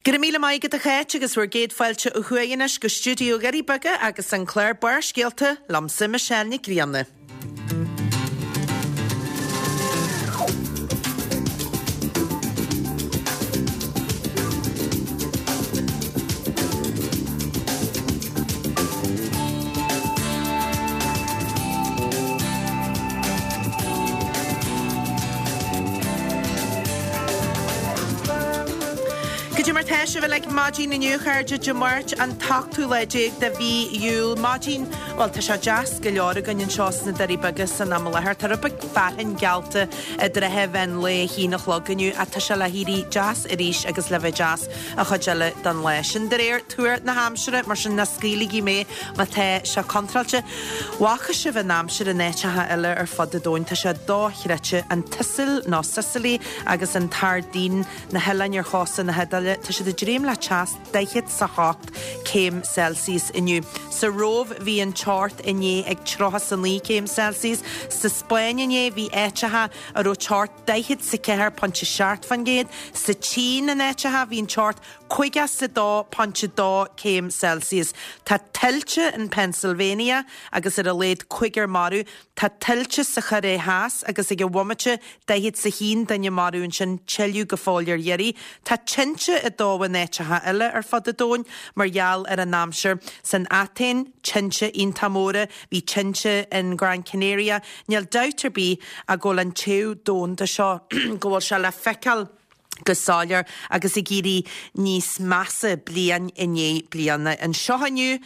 Go raibh míle maith agat a Cháit agus bhur gcéad fáilte ó thuaidh anois go stiúideo Dhoirí Beaga agus an clár Barrscéalta liomsa Michelle Nic Grianna. Cad é mar tá sibh uilig maidin inniu, a chairde, Dé Máirt an t-ochtú lá déag de mhí Iúil. Maidin, bhuel, tá sé deas go leor againn anseo sna Doirí Beaga san am i láthair. Tá rud beag fearthainn geallta i dtrátha mheán lae, a haon a chlog inniu ach tá sé le héirí deas arís agus le bheith deas an chuid eile den lá. Sin de réir tuar na haimsire, mar sin ná scaoiligí mé má tá sé contráilte. Bhfaca sibh an aimsir in áiteacha eile ar fud an domhain, tá sé dochreidte. An tSicil nó Sicily agus an tSairdín, na hoileáin ar chósta na hIodáile, tá siad ag dréim le teas daichead 's a hocht céim Celsius inniu. Sa Róimh bhí an teocht inné ag tríocha 's a naoi céim Celsius. Sa Spáinn inné bhí áiteacha a raibh teocht 44.7%. Sa tSín in áiteacha bhí an teocht 52.2 céim Celsius. Tá tuilte in Pennsylvania agus ar a laghad cúigear marbh. Tá tuilte sa Chóiré Theas agus ag an bhomaite 41 duine marbh ansin, tuilleadh go fóill ar iarraidh. Tá tinte ag dó in áiteacha eile ar fud an domhain mar gheall ar an aimsir. San Atéin, tinte iontach móra. Bhí tinte in Gran Canaria. Níl dabht ar bith ach go bhfuil an téamh domhanda seo, go bhfuil sé le feiceáil go soiléir agus ag éirí níos measa bliain i ndiaidh bliana. Anseo inniu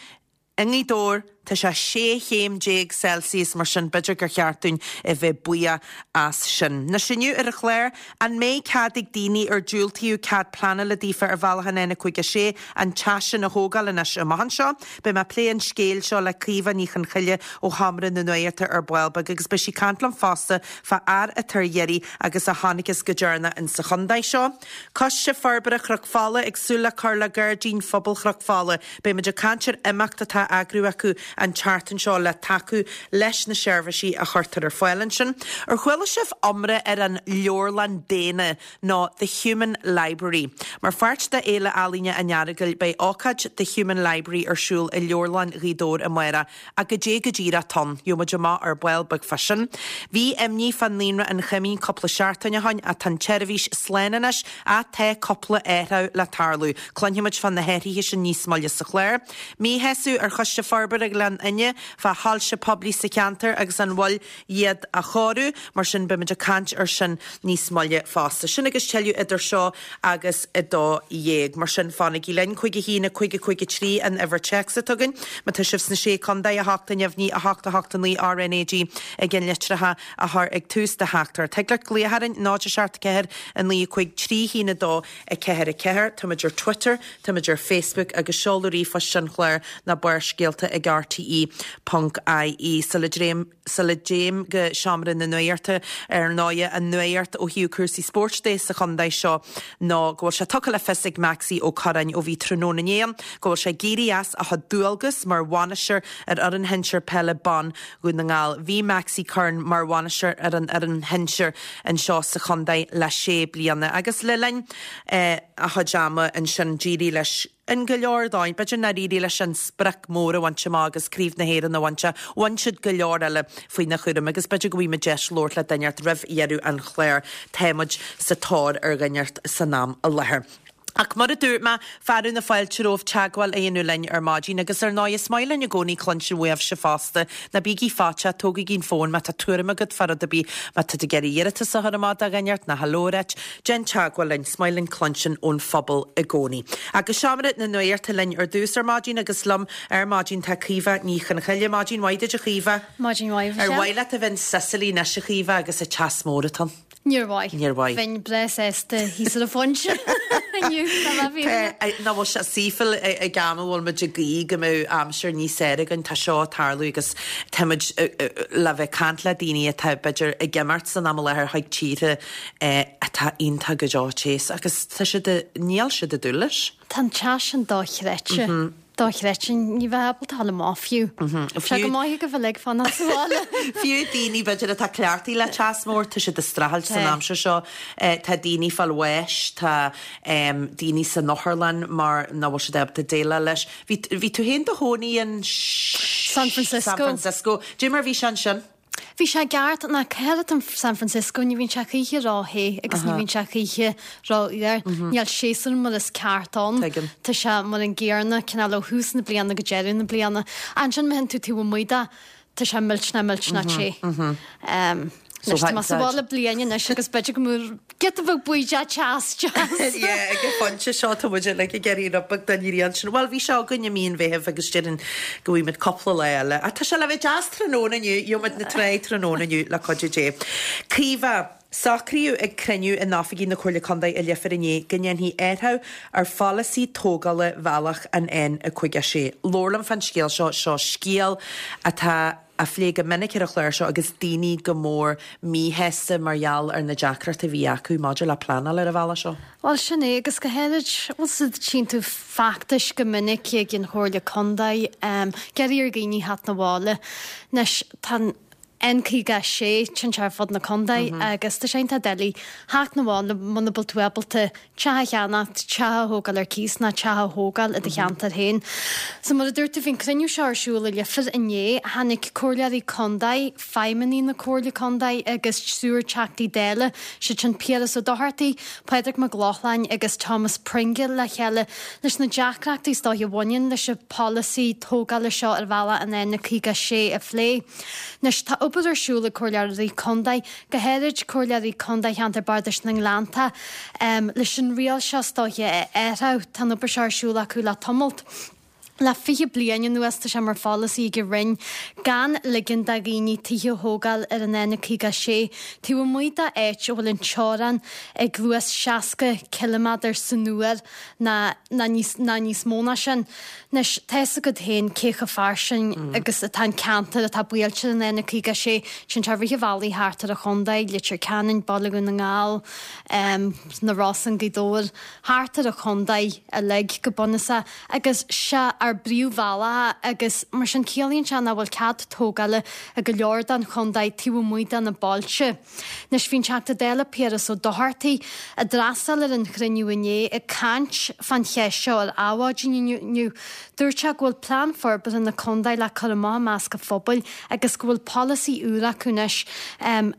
i nGaoth Dobhair, tá sé 16 chéim Celsius, mar sin b'fhéidir gur cheart dúinn a bheith buíoch as sin. Anois inniu ar an chlár, an mbeidh cead ag daoine ar diúltaíodh cead pleanála daofa ar bhealach an N56 an teach sin a thógáil anois amach anseo? Beidh mé ag plé an scéil seo le Caoimhe Ní Chonchoille ó Sheomra na Nuachta ar ball beag agus beidh sí ag caint liom fosta fá fhear atá ar iarraidh agus a chonacthas go deireanach in sa chontae seo. Coiste Forbartha Chnoc Fola ag súil le cur le Gairdín Phobail Chnoc Fola. Beidh muid ag caint ar imeacht atá á eagrú acu an tseachtain seo le tacú leis na seirbhísí a chuirtear ar fáil ansin. Ar chuala sibh iomrá ar an Leabharlann Daonna nó The Human Library. Mar pháirt de Fhéile Ealaíne an Earagail beidh ócáid The Human Library ar siúl i Leabharlann Ghaoth Dobhair amárach ach goidé go díreach atá ann? Gheobhaidh muid amach ar ball beag fá sin. Bhí imní fá Naíonra an Choimín cúpla seachtain ó shoin ach tá an tseirbhís slán anois ach tá cúpla athrú le tarlú. Cluinfidh muid fá na hathruithe sin níos moille sa chlár. Míshásamh ar Choiste Forbartha Ghleann Fhinne fá shoilse poiblí sa cheantar agus an mhoill iad a chóiriú, mar sin beimid ag caint ar sin níos moille fosta. Sin agus tuilleadh idir seo agus 12:00. Mar sin fanaigí linn. 5 1 5 5 3 an uimhir téacs atá againn. Má tá sibh sna Sé Contae, 8 neamhní 8 8 9 RnaG i gceannlitreacha a chur ag tús do theachtaireacht. Thig leat glaoch orainn 0 7 4 9 5 3 1 2 4 4. Táimid ar Twitter, táimid ar Facebook agus seoladh ríomhphoist an chláir ná barrscéalta ag rte ponc ie. Sula dtéim sula dtéim go seomra na nuachta, ar ndóighe, an nuacht ó thaobh cúrsaí spóirt de sa chontae seo ná go bhfuil sé tugtha le fios ag Maxie Ó Curráin ó bhí tráthnóna inné ann go bhfuil sé ag éirí as a chuid dualgas mar bhainisteoir ar fhoireann shinsir peile ban Dhún na nGall. Bhí Maxie Curran mar bhainisteoir ar an fhoireann shinsir anseo sa chontae le sé bliana agus le linn a chuid ama ansin d'éirigh leis in go leor dóigh. B'fhéidir nár éirigh leis an sprioc mór a bhaint amach agus Craobh na hÉireann a bhaint ach bhain siad go leor eile faoina chúram agus b'fhéidir go bhfaighidh muid deis labhairt le duine inteacht roimh dheireadh an chláir. Tá muid sa tóir ar dhuine inteacht san am i láthair. Ach mar a dúirt mé, fearadh na fáilte romhaibh teagmháil a dhéanamh linn ar maidin agus ar ndóigh is maith linn i gcónaí cluinstin uaibhse fosta. Ná bígí faiteach, tógaigí an fón má tá tuairim agat fá rud ar bith, má tá tú ag iarraidh iarratas a chur amach do dhuine inteacht nó hello a ráit, déan teagmháil linn, is maith linn cluinstin ón phobal i gcónaí. Agus seomra na nuachta linn ar dtús ar maidin agus liom ar maidin tá Caoimhe Ní Chonchoille. Maidin mhaith duit a Chaoimhe. Maidin mhaith, a Ar mhaith leat a bheith in Sicily anois a Chaoimhe agus an teas mór atá ann? Níor mhaith. Níor mhaith. Bheinn breá sásta thíos ar an phointe inniu, dá mbeadh fírinne. Nach bhfuil sé saoithiúil ag am a bhfuil muid ag guí go mbeadh aimsir níos fearr againn, tá seo ag tarlú agus tá muid le bheith ag caint le daoine atá b'fhéidir ag imeacht san am i láthair chuig tíortha atá iontach go deo téas agus tá siad, níl siad ag dúil leis. Tá an teas sin dochreidte. Dochreidte, ní bheifeá ábalta a ghabháil amach fiú. Tá sé go maith agaibh uilig fanacht sa bhaile. Fiú daoine b'fhéidir atá cleachtaithe le teas mór, tá siad ag streachailt san aimsir seo. Tá daoine ag fáil bháis, tá daoine san otharlann mar nach bhfuil siad ábalta déileáil leis. Bhí, bhí tú féin do chónaí in San Francisco. San Francisco. Cad é mar a bhí sé ansin? Bhí sé i gceart ná céard in San Francisco, ní bhíonn sé choíche ró-the agus ní bhíonn sé choíche ró-fhuar. Níl séasúr mar is ceart ann. Tuigim. Tá sé mar an gcéanna cineál ó thús na bliana go deireadh na bliana. Ansin má théann tú taobh amuigh de, tá sé millteanach millteanach te. Anois tá mé sa bhaile bliain anois agus b'fhéidir go mbeadh giota beag buí de teas deas. Yeah, ag an phointe seo tá muid uilig ag iarraidh rud beag den ghrian sin. Bhuel, bhí sé againn i mí an Mheithimh agus déarfainn go bhfaighimid cúpla lá eile. Ach tá sé le bheith deas tráthnóna inniu, gheobhaimid na tráigh tráthnóna inniu le cuidiú Dé. Caoimhe, Socraíodh ag cruinniú in oifigí na Comhairle Contae i Leifear inné go ndéanfaí athrú ar pholasaí tógála bhealach an N56. Labhair liom fán scéal seo, seo scéal atá á phlé go minic ar an chlár seo agus daoine go mór míshásta mar gheall ar na deacrachtaí a bhí acu maidir le pleanáil ar an bhealach seo. Bhuel, sin é, agus go háirid, bhuel, tchíonn tú feachtais go minic ag an Chomhairle Contae, ag iarraidh ar dhaoine theacht 'na bhaile. Anois, tá an N56, téann sé ar fud na contae agus tá sé iontach doiligh theacht 'na bhaile muna bhfuil tú ábalta teach a cheannacht, teach a thógáil ar cíos ná teach a thógáil i do cheantar féin. So mar a dúirt tú, bhí an cruinniú seo ar siúl i Leifear inné. Tháinig comhairleoirí contae, feidhmeannaigh na Comhairle Contae agus triúr Teachtaí Dála, siad sin Piaras Ó Dochartaigh, Pádraig Mac Lochlainn agus Thomas Pringle le chéile leis na deacrachtaí is dóiche a bhaineann leis an pholasaí tógála seo ar bhealach an N56 a phlé. Anois tá obair ar siúl ag comhairleoirí contae, go háirid comhairleoirí contae cheantar Bardais na nGleannta, leis an riail seo is dóiche a athrú. Tá an obair seo ar siúl acu le tamalt. Le 20 bliain anuas tá sé mar pholasaí ag an Roinn gan ligean do dhaoine tithe a thógáil ar an N56 taobh amuigh d'áit a bhfuil an teorainn ag luas 60 ciliméadar san uair ná níos ná níos mó ná sin. Anois, tá fhios agat féin cé chomh fairsing agus atá an ceantar atá buailte ar an N56. Téann sé i rith an bhealaigh thart ar an chontae, Leitir Ceanainn, Baile Dhún na nGall, na Rosann, Gaoth Dobhair, thart ar an chontae uilig go bunúsach. Agus sé ár bpríomhbhealach é agus mar sin ciallaíonn sé nach bhfuil cead tógála i go leor den chontae taobh amuigh de na bailte. Anois bhí an Teachta Dála Piaras Ó Dochartaigh, a d'fhreastail ar an chruinniú inné, ag caint fán cheist seo ar Adhmhaidin inniu. Dúirt sé go bhfuil plean forbartha na contae le cur amach i measc an phobail agus go bhfuil polasaí úr acu anois,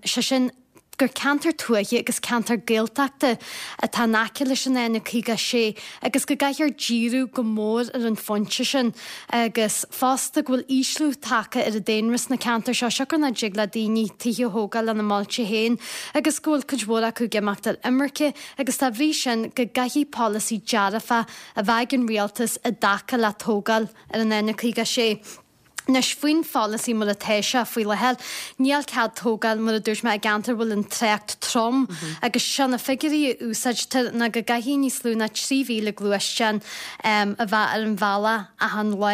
sé sin, gur ceantar tuaithe agus ceantar Gaeltachta atá in aice leis an N56 agus go gcaithfear díriú go mór ar an phointe sin. Agus fosta go bhfuil ísliú tagtha ar an daonra sna ceantair seo, siocair nach dtig le daoine tithe a thógáil lena mbailte féin agus go bhfuil cuid mhór acu ag imeacht ar imirce agus dá bhrí sin go gcaithfidh polasaí dearfach a bheith ag an rialtas i dtaca le tógáil ar an N56. Anois, faoin pholasaí mar atá sé faoi láthair, níl cead tógáil, mar a dúirt mé, i gceantair a bhfuil an trácht trom agus sé na figiúirí a úsáidtear ná go gcaithfidh níos lú ná 3,000 gluaisteán a bheith ar an bhealach achan lá.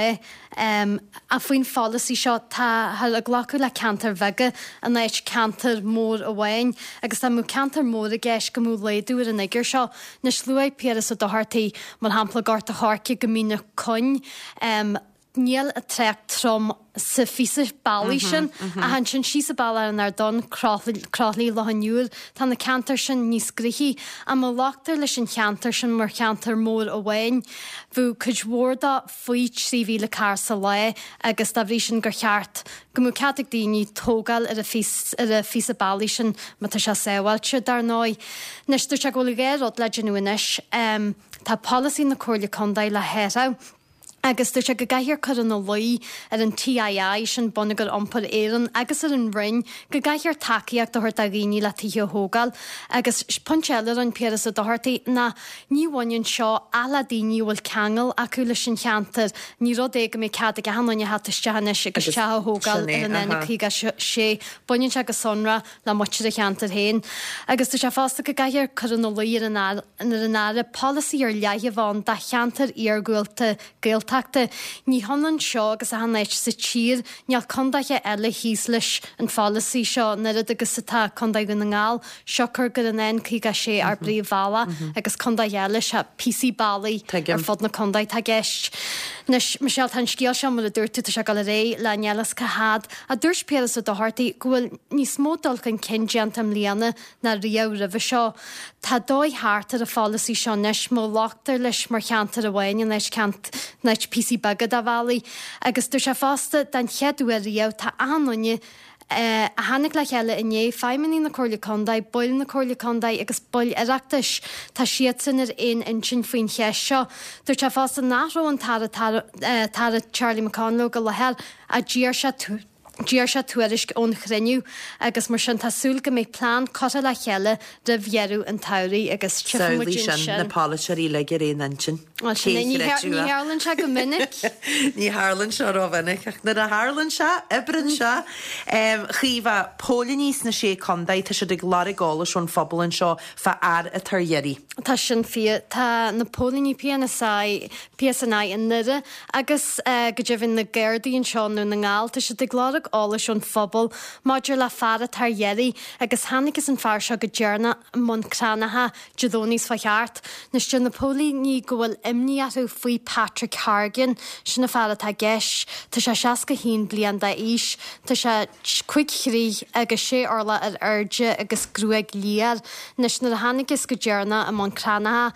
Ach faoin pholasaí seo, táthar ag glacadh le ceantair bheaga in áit ceantar mór amháin agus dá mbeadh ceantar mór i gceist go mbeadh laghdú ar an fhigiúr seo. Anois, luaigh Piaras Ó Dochartaigh, mar shampla, Gort a' Choirce go Mín na Coinn, Níl an trácht trom sa phíosa bealaigh sin, ach ansin síos an bealach ar an Ardán, Croithlí, Loch an Iúir, tá na ceantair sin níos gnoithí. Ach má ghlactar leis an cheantar sin mar cheantar mór amháin, bheadh cuid mhór dó faoi 3,000 carr sa lá agus dá bhrí sin gur cheart go mbeadh cead ag daoine tógáil ar an phíosa bealaigh sin má tá sé sábháilte, dar ndóigh. Anois, dúirt sé go bhfuil dhá rud le déanamh anois. Tá polasaí na Comhairle Contae le hathrú. Agus dúirt sé go gcaithfear cur ina luí ar an TII, sin Bonneagar Iompair Éireann, agus ar an Roinn go gcaithfear tacaíocht a thabhairt do dhaoine le tithe a thógáil. Agus pointe eile a rinne Piaras Ó Dochartaigh ná ní bhaineann seo ach le daoine a bhfuil ceangal acu leis an cheantar, ní rud é go mbeidh cead ag achan duine a theacht isteach anois agus teach a thógáil ar an N56. Baineann sé go sonrath le muintir an cheantair féin. Agus dúirt sé fosta go gcaithfear cur ina luí ar an ar an Aire polasaí ar leith a bheith ann do cheantair iargúlta Gaeltachta. Ní hionann seo agus achan áit sa tír, níl contaetha eile thíos leis an pholasaí seo an oiread agus atá Contae Dhún na nGall, siocair gur an N56 ár bpríomhbhealach agus contaetha eile, sea, píosaí bealaigh ar fud na contae atá i gceist. Anois, Michelle, tá an scéal seo, mar a dúirt tú, tá sé ag dul ar aghaidh le níl a fhios cá fhad. Ach dúirt Piaras Ó Dochartaigh go bhfuil níos mó dul chun cinn déanta i mbliana ná riamh roimhe seo. Tá dóigh thart ar an pholasaí seo anois, má ghlactar leis mar cheantar amháin in áit in áit píosaí beaga de bhealaí. Agus dúirt sé fosta, den chéad uair riamh, tá achan duine a tháinig le chéile inné, feidhmeannaigh na Comhairle Contae, baill na Comhairle Contae agus baill Oireachtais, tá siadsan ar aon intinn faoin cheist seo. Dúirt sé fosta nach raibh an tAire Charlie McConalogue i láthair ach d'iarr sé d'iarr sé tuairisc ón chruinniú agus mar sin tá súil go mbeidh plean curtha le chéile roimh dheireadh an tsamhraidh agus tchífidh muid Samhlaigh sin, na ansin. polaiteoirí uilig ar aon intinn. Bhuel, sin é, ní tharlaíonn sé go minic. Ní tharlaíonn sé rómhinic, ach nuair a tharlaíonn sé, oibríonn sé. Chaoimhe, póilíní sna Sé Contae, tá siad ag lorg eolais ón phobal anseo fá fhear atá ar iarraidh. Tá sin fíor. Tá na póilíní PNSI, PSNI i nDoire agus go deimhin na Gardaí anseo i nDún na nGall, tá siad ag lorg eolais ón phobal maidir le fear atá ar iarraidh agus thángthas an fear seo go deireanach i mBun Cranncha Dé Domhnaigh seo thart. Anois deir na póilíní go bhfuil imní orthu faoi Patrick Hargan. Sin an fear atá i gceist. Tá sé 61 bliain d'aois. Tá sé 5 throigh agus 6 orlach ar airde agus gruaig liath air. Anois nuair a thángthas go deireanach i mBun Cranncha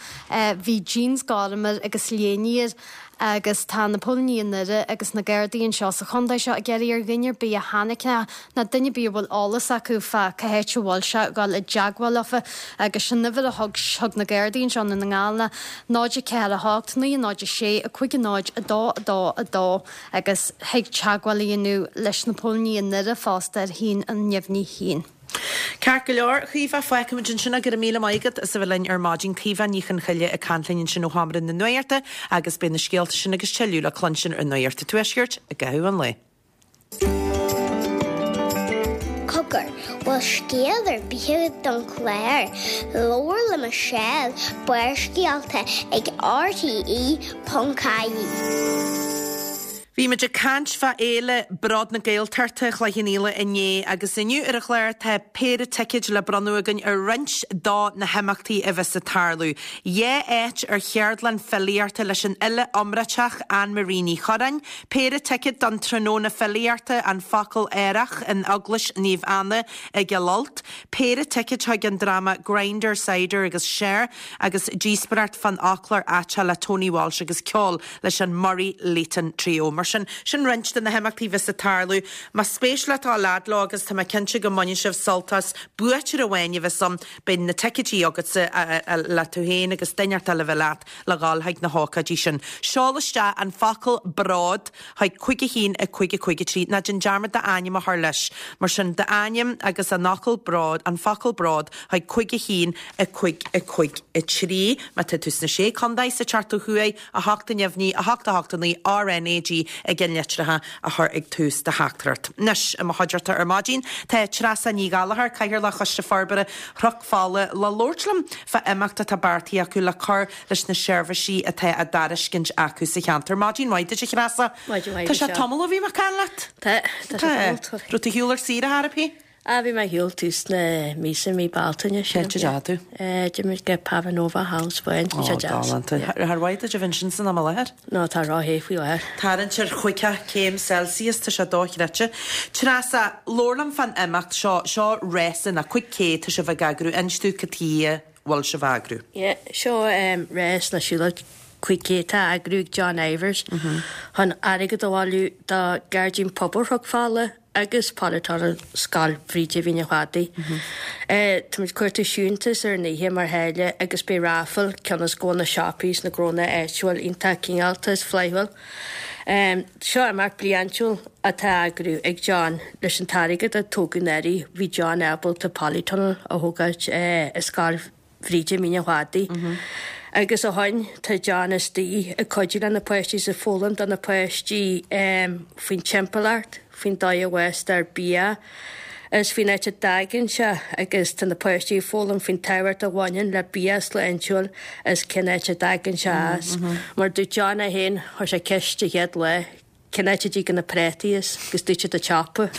bhí jeans gorm air agus léine air. Agus tá na póilíní i nDoire agus na Gardaí anseo sa chontae seo ag iarraidh ar dhuine ar bith a chonaic é ná duine ar bith a bhfuil eolas acu fá cá háit a bhfuil sé dhul i dteagmháil leofa agus sin an uimhir a thug thug na Gardaí anseo i nDún na nGall ná 0 4 8 9 0 6 5 0 2 2 2 agus thig teagmháil a dhéanamh leis na póilíní i nDoire fosta ar 1 neamhní 1. Ceart go leor, Caoimhe, fágfaimid ansin é. Go raibh míle maith agat as a bheith linn ar maidin. Caoimhe Ní Chonchoille ag caint linn ansin ó Sheomra na Nuachta agus beidh na scéalta sin agus tuilleadh le cluinstin ar Nuacht an Tuaiscirt i gcaitheamh an lae. Cogar, bhfuil scéal ar bith agat don chlár? Labhair le Michelle, Barrscéalta ag RTE.ie. Bhí muid ag caint fá Fhéile Bród na Gaeltachta Chloich Cheann Fhaola inné agus inniu ar an chlár tá péire ticéid le bronnadh againn ar roinnt do na himeachtaí a bheas ag tarlú. Dhá áit ar cheardlann filíochta leis an fhile iomráiteach Anne Marie Ní Churráin, péire ticéad don tráthnóna filíochta An Focal Aerach in Eaglais Naomh Anna i gCill Ailt, péire ticéid chuig an dráma Grinder, Cider agus Cher agus díospóireacht fán fhoclóir aiteach le Tony Walsh agus ceol leis an Murray Leighton Trio. Mar sin, sin roinnt de na himeachtaí a bheas ag tarlú. Más spéis leat dul fhad leo, agus tá mé cinnte go mbainfidh sibh sult as, buaiteoir amháin a bheas ann, beidh na ticéidí agatsa le tú féin agus duine inteacht eile a bheith leat le dhul chuig na hócáidí sin. Seol isteach an focal 'bród' chuig 5 1 5 5 3. Ná déan dearmad d'ainm a chur leis. Mar sin, d'ainm agus an fhocal bród, an focal 'bród' chuig 5 1 5 5 3. Má tá tú sna Sé Contae sa tseachtain ó thuaidh, 8 neamhní, 8 8 9 RNAG ag an litreacha a chur ag tús do theachtaireacht. Anois, i mo chuideachta ar maidin tá Treasa Ní Ghallchóir, Cathaoirleach Choiste Forbartha Chnoc Fola, le labhairt liom fá imeacht atá beartaithe acu le cur leis na seirbhísí atá á dtairiscint acu sa cheantar. Maidin mhaith duit, a Threasa. Maidin mhaith Tá sé Michelle. tamall ó bhí mé ag caint leat. Tá, tá sé tamall. Tá. Raibh tú ar shiúl ar saoire ar bith? Ah, bhí mé ar shiúl tús na míosa, mí Bealtaine, sílim. Cén áit a ndeachaigh tú? Eh, d'imigh muid go Padova thall sa Spáinn, bhí sé Ó, deas. galánta. Yeah. Char mhaith duit a bheith ansin san am i láthair? No, tá ró-the faoi láthair. Tarraingt ar chúigear céim Celsius, tá sé dochreidte. Treasa, labhair liom fán imeacht seo, seo rása nó 5K tá sibh ag eagrú, inis domh cad chuige a bhfuil sibh á eagrú. Yeah, seo em, rás nó siúlóid 5K atá á eagrú ag John Ivers chun airgead a bhailiú do Ghairdín Pobail Chnoc Fola agus Polytunnel Scoil Bhríde Mhín an Chladaigh. Táimid ag cuartú siúntas ar an oíche mar tháille agus beidh raffle cionn is go bhfuil na siopaí is na gnónna áitiúil iontach cineálta is flaithiúil. Seo imeacht bliantúil atá á eagrú ag John leis an t-airgead a tógadh anuraidh bhí John ábalta polytunnel a thógáilt i Scoil Bhríde Mín an Chladaigh. Agus ó shoin tá John istigh ag cuidiú le na páistí is ag foghlaim do na páistí faoin timpeallacht, faoin dóigh a bhfástar bia is faoin áit a dtagann sé agus tá na páistí ag foghlaim faoin tábhacht a bhaineann le bia sláintiúil is cén áit a dtagann sé as. Mar dúirt John é féin, chuir sé ceist an chéad lá, Cén áit a dtigeann na prátaí as agus dúirt siad an tsiopa.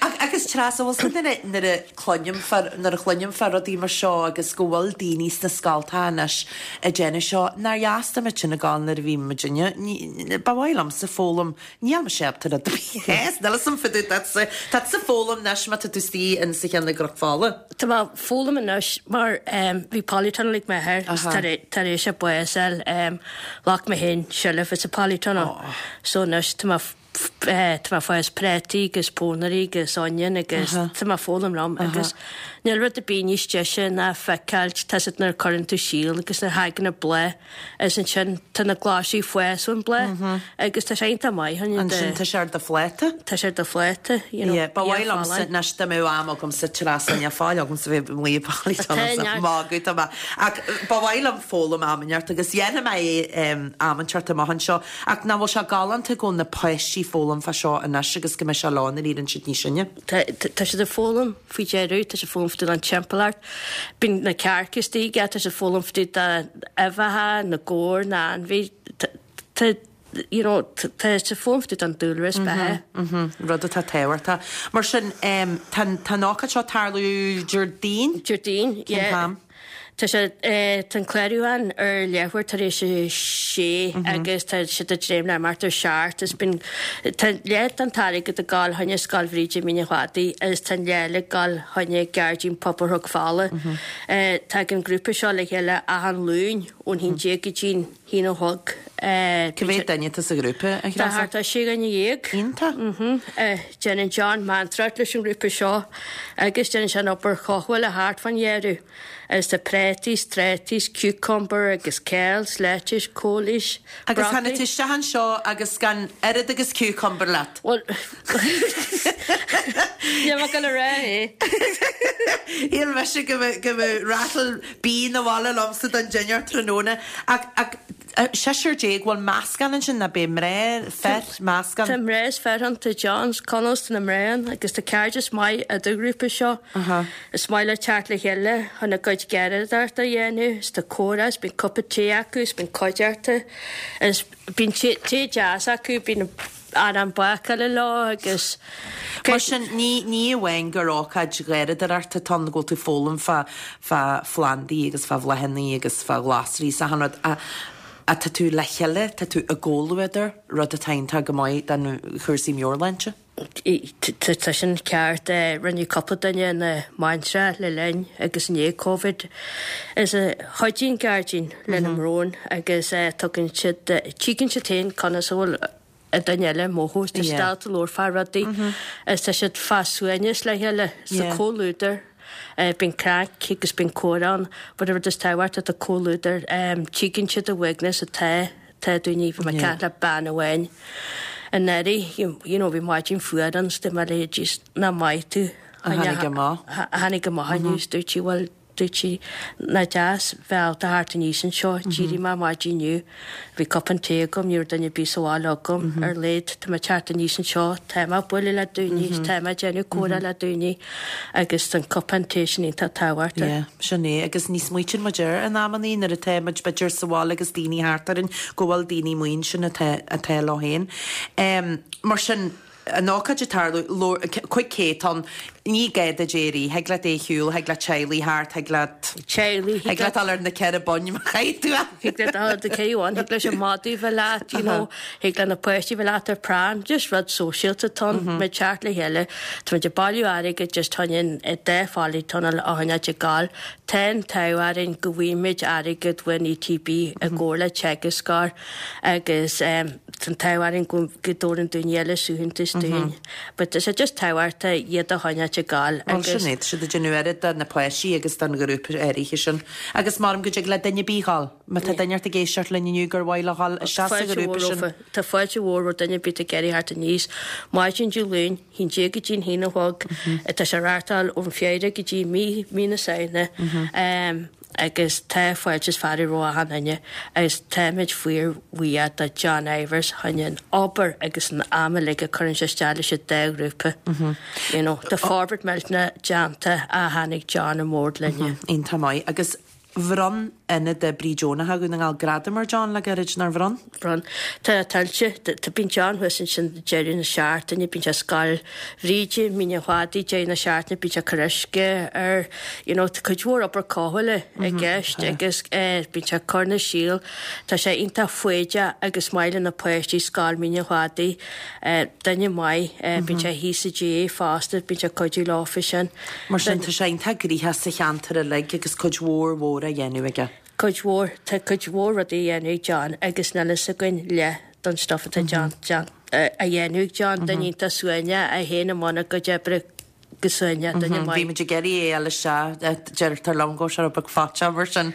Ach. Agus Treasa, bhfuil 's agat nuair a cluinim fá, nuair a chluinim fá rudaí mar seo agus go bhfuil daoine sna scoltacha anois ag déanamh seo, nár dheas dá mbeadh sin ag gabháil nuair a bhí muidinne, ní, ba mhaith liomsa foghlaim, níl mise ábalta rud ar bith, yes, níl 'fhios a'm fá dtaobh duitse, tá tusa ag foghlaim anois má tá tú istigh in sa cheann i gCnoc Fola. Tá mé ag foghlaim anois mar bhí polytunnel ag m'athair tar éis a bás a fháil, ghlac mé féin seilbh as an polytunnel so anois tá mé tá mé ag fás prátaí agus pónairí agus onion agus tá mé ag foghlaim liom agus níl rud ar bith níos deise ná feiceáilt tá 's agat nuair a cuireann tú síol agus nuair a thagann an bláth Is ansin tá na glasraí ag fás ón bláth agus tá sé iontach maith chun Ansin tá sé ar do phláta. Tá sé ar do phláta, you know. Yeah, ba mhaith liomsa anois dá mbeadh am agamsa Treasa níl faill agamsa bheith amuigh i polytunnel ag magadh tá mé ach ba mhaith liom foghlaim am inteacht agus dhéanfaidh mé é am inteacht amach anseo ach nach bhfuil sé galánta go bhfuil na páistí ag foghlaim fá seo anois agus go mbeidh sé leo nuair a éiríonn siad níos sine. Tá siad ag foghlaim faoi deireadh, tá siad ag foghlaim fá dtaobh den timpeallacht. Bíonn na cearca istigh, tá siad ag foghlaim fá dtaobh d'uibheacha, na gabhar, na ainmhí. Tá, you know, tá siad ag foghlaim fá dtaobh den dúlra is beatha. Rud atá tábhachtach. Mar sin, tá an ócáid seo ag tarlú Déardaoin? Déardaoin, yeah. Cén t-am? Tá sé, tá an clárúchán ar leathuair tar éis a sé agus tá siad ag dréim le imeacht ar seacht is bíonn, tá leath den t-airgead ag gabháil chuig Scoil Bhríde Mín an Chladaigh agus tá an leath eile ag gabháil chuig Gairdín Pobail Chnoc Fola. Tagann an grúpa seo le chéile achan Luan ón haon déag go dtí an haon a chlog. Cá mhéad duine atá sa ghrúpa, a Threasa? Tá thart ar sé dhuine dhéag. Iontach. Déanann John meantóireacht leis an ngrúpa seo agus déanann sé an obair chothabhála thart fán gharraí. Agus tá prátaí, 's trátaí, 's cucumber agus céil, 's lettuce, cóilís, Agus tháinig tú isteach anseo agus gan oiread agus cucumber leat. Bhuel, níl mé ag dul a rá é. Shíl mise go mbeadh rattle bean abhaile liomsa don dinnéar tráthnóna. Ach, ach, seisear déag, bhfuil meascán ansin, ná beidh mná, fir, meascán? Tá mná is fir ann, tá John 's Conall 's tá na mná ann agus tá cairdeas maith idir ghrúpa seo. Is maith leo teacht le chéile chun a gcuid garraíodóireachta a dhéanamh 's tá comhrá 's bíonn cupa tae acu 's bíonn cuideachta is bíonn tae deas acu, bíonn arán bácála leo agus. Mar sin, ní, ní amháin gur ócáid gharraíodóireachta atá ann go bhfuil tú ag foghlaim fá, fá phlandaí agus fá bhláthanna agus fá ghlasraí is achan rud, ach, ach tá tú le chéile, tá tú i gcomhluadar, rud atá iontach go maith don chúrsaí meabhairshláinte. Tá sin ceart. Rinneadh cúpla duine ina mbaintreach le linn agus i ndiaidh Covid. Is a chuidíonn gairdín lena mbrón agus tugann siad, tuigeann siad féin conas a bhfuil an duine eile ag mothú. Tá siad ábalta labhairt fá rudaí is tá siad fá suaimhneas le chéile sa comhluadar. Bíonn craic agus bíonn comhrá ann but an rud is tábhachtaí tá comhluadar. Tuigeann siad an uaigneas atá Tá daoine, bhí mé ag caint le bean amháin anuraidh, you know, bhí maidin fuar ann 's dúirt mé léi, jeez, nach maith tú. A tháinig amach. A tháinig amach inniu 's dúirt sí, bhuel, dúirt sí, nach deas bheith ábalta theacht aníos anseo, d'éirigh mé maidin inniu, bhí cupán tae agam, ní raibh duine ar bith sa bhaile agam, ar a laghad, tá mé ag teacht aníos anseo, tá mé ag bualadh le daoine, tá mé ag déanamh comhrá le daoine agus tá an cupán tae sin iontach tábhachtach. Yeah, sin é. Agus ní smaoitíonn muid air in amannaí nuair atá muid b'fhéidir sa bhaile agus daoine thart orainn go bhfuil daoine amuigh ansin atá, atá leo féin. Mar sin, an ócáid ag tarlú, 500 ann, ní gá duit é a rith, thig leat é a shiúl, thig leat teaghlaigh thart, thig leat, Teaghlaigh, thig leat dul ar na ceithre boinn má chaithfidh tú é. Thig leat dul ar na ceithre bhonn, thig leis an madadh bheith leat, you know, thig le na páistí bheith leat ar pram, just rud sóisialta atá ann, muid teacht le chéile, tá muid ag bailiú airgid just chun an dá pholytunnel a choinneáilt ag gabháil. Tá an t-ádh orainn go bhfaighimid airgead ón ETB i gcomhar le Teagasc agus tá an t-ádh orainn go go dtabharann daoine eile suaitheantas dúinn. But tá sé just tábhachtach iad a choinneáilt ag gabháil Bhuel agus. sin é, tá siad ag déanamh oiread do na páistí agus don ghrúpa áirithe sin. Agus maram go dtig le duine ar bith dhul. Má tá duine ort ag éisteacht linn inniu gur mhaith leo dhul isteach sa ghrúpa sin. Tá fáilte mhór roimh duine ar bith ag iarraidh theacht aníos. Maidin Dé Luain, haon déag go dtí an haon a chlog. Tá sé reáchtáil ón Feabhra go dtí mí mí na Samhna agus tá fáilte is fearadh roimh achan duine agus táimid fíor bhuíoch do John Ivers chun an obair agus an am uilig a cuireann sé isteach leis an dá ghrúpa. You know, tá forbairt millteanach déanta ó tháinig John on board linne. Iontach maith agus bhronn. Ionad Oibrí Deonacha Dhún na nGall gradam ar John le gairid, nár bhronn? Bhronn. Tá tuillte. Tá bíonn John thuas ansin deireadh na seachtaine, bíonn sé Scoil Bhríde, Mín an Chladaigh, deireadh na seachtaine, bíonn sé ag cur uisce ar, you know, tá cuid mhór obair cothabhála i gceist agus bíonn sé ag cur na síl. Tá sé iontach foighdeach agus maith le na páistí Scoil Mín an Chladaigh. Duine maith. Bíonn sé thíos sa GAA fosta, bíonn sé ag cuidiú leo fé sin. Mar sin, tá sé iontach gnoitheach sa cheantar uilig agus cuid mhór mhór á dhéanamh aige. Cuid mhór. Tá cuid mhór rudaí á dhéanamh ag John agus níl fhios againn leath don stuff atá John á dhéanamh ag John. Duine iontach suaimhneach, é féin i mbun a gcuid oibre go suaimhneach, duine maith. Bhí muid ag iarraidh é a fháil isteach, deirtear liom go bhfuil sé rud beag faitíoch mar sin.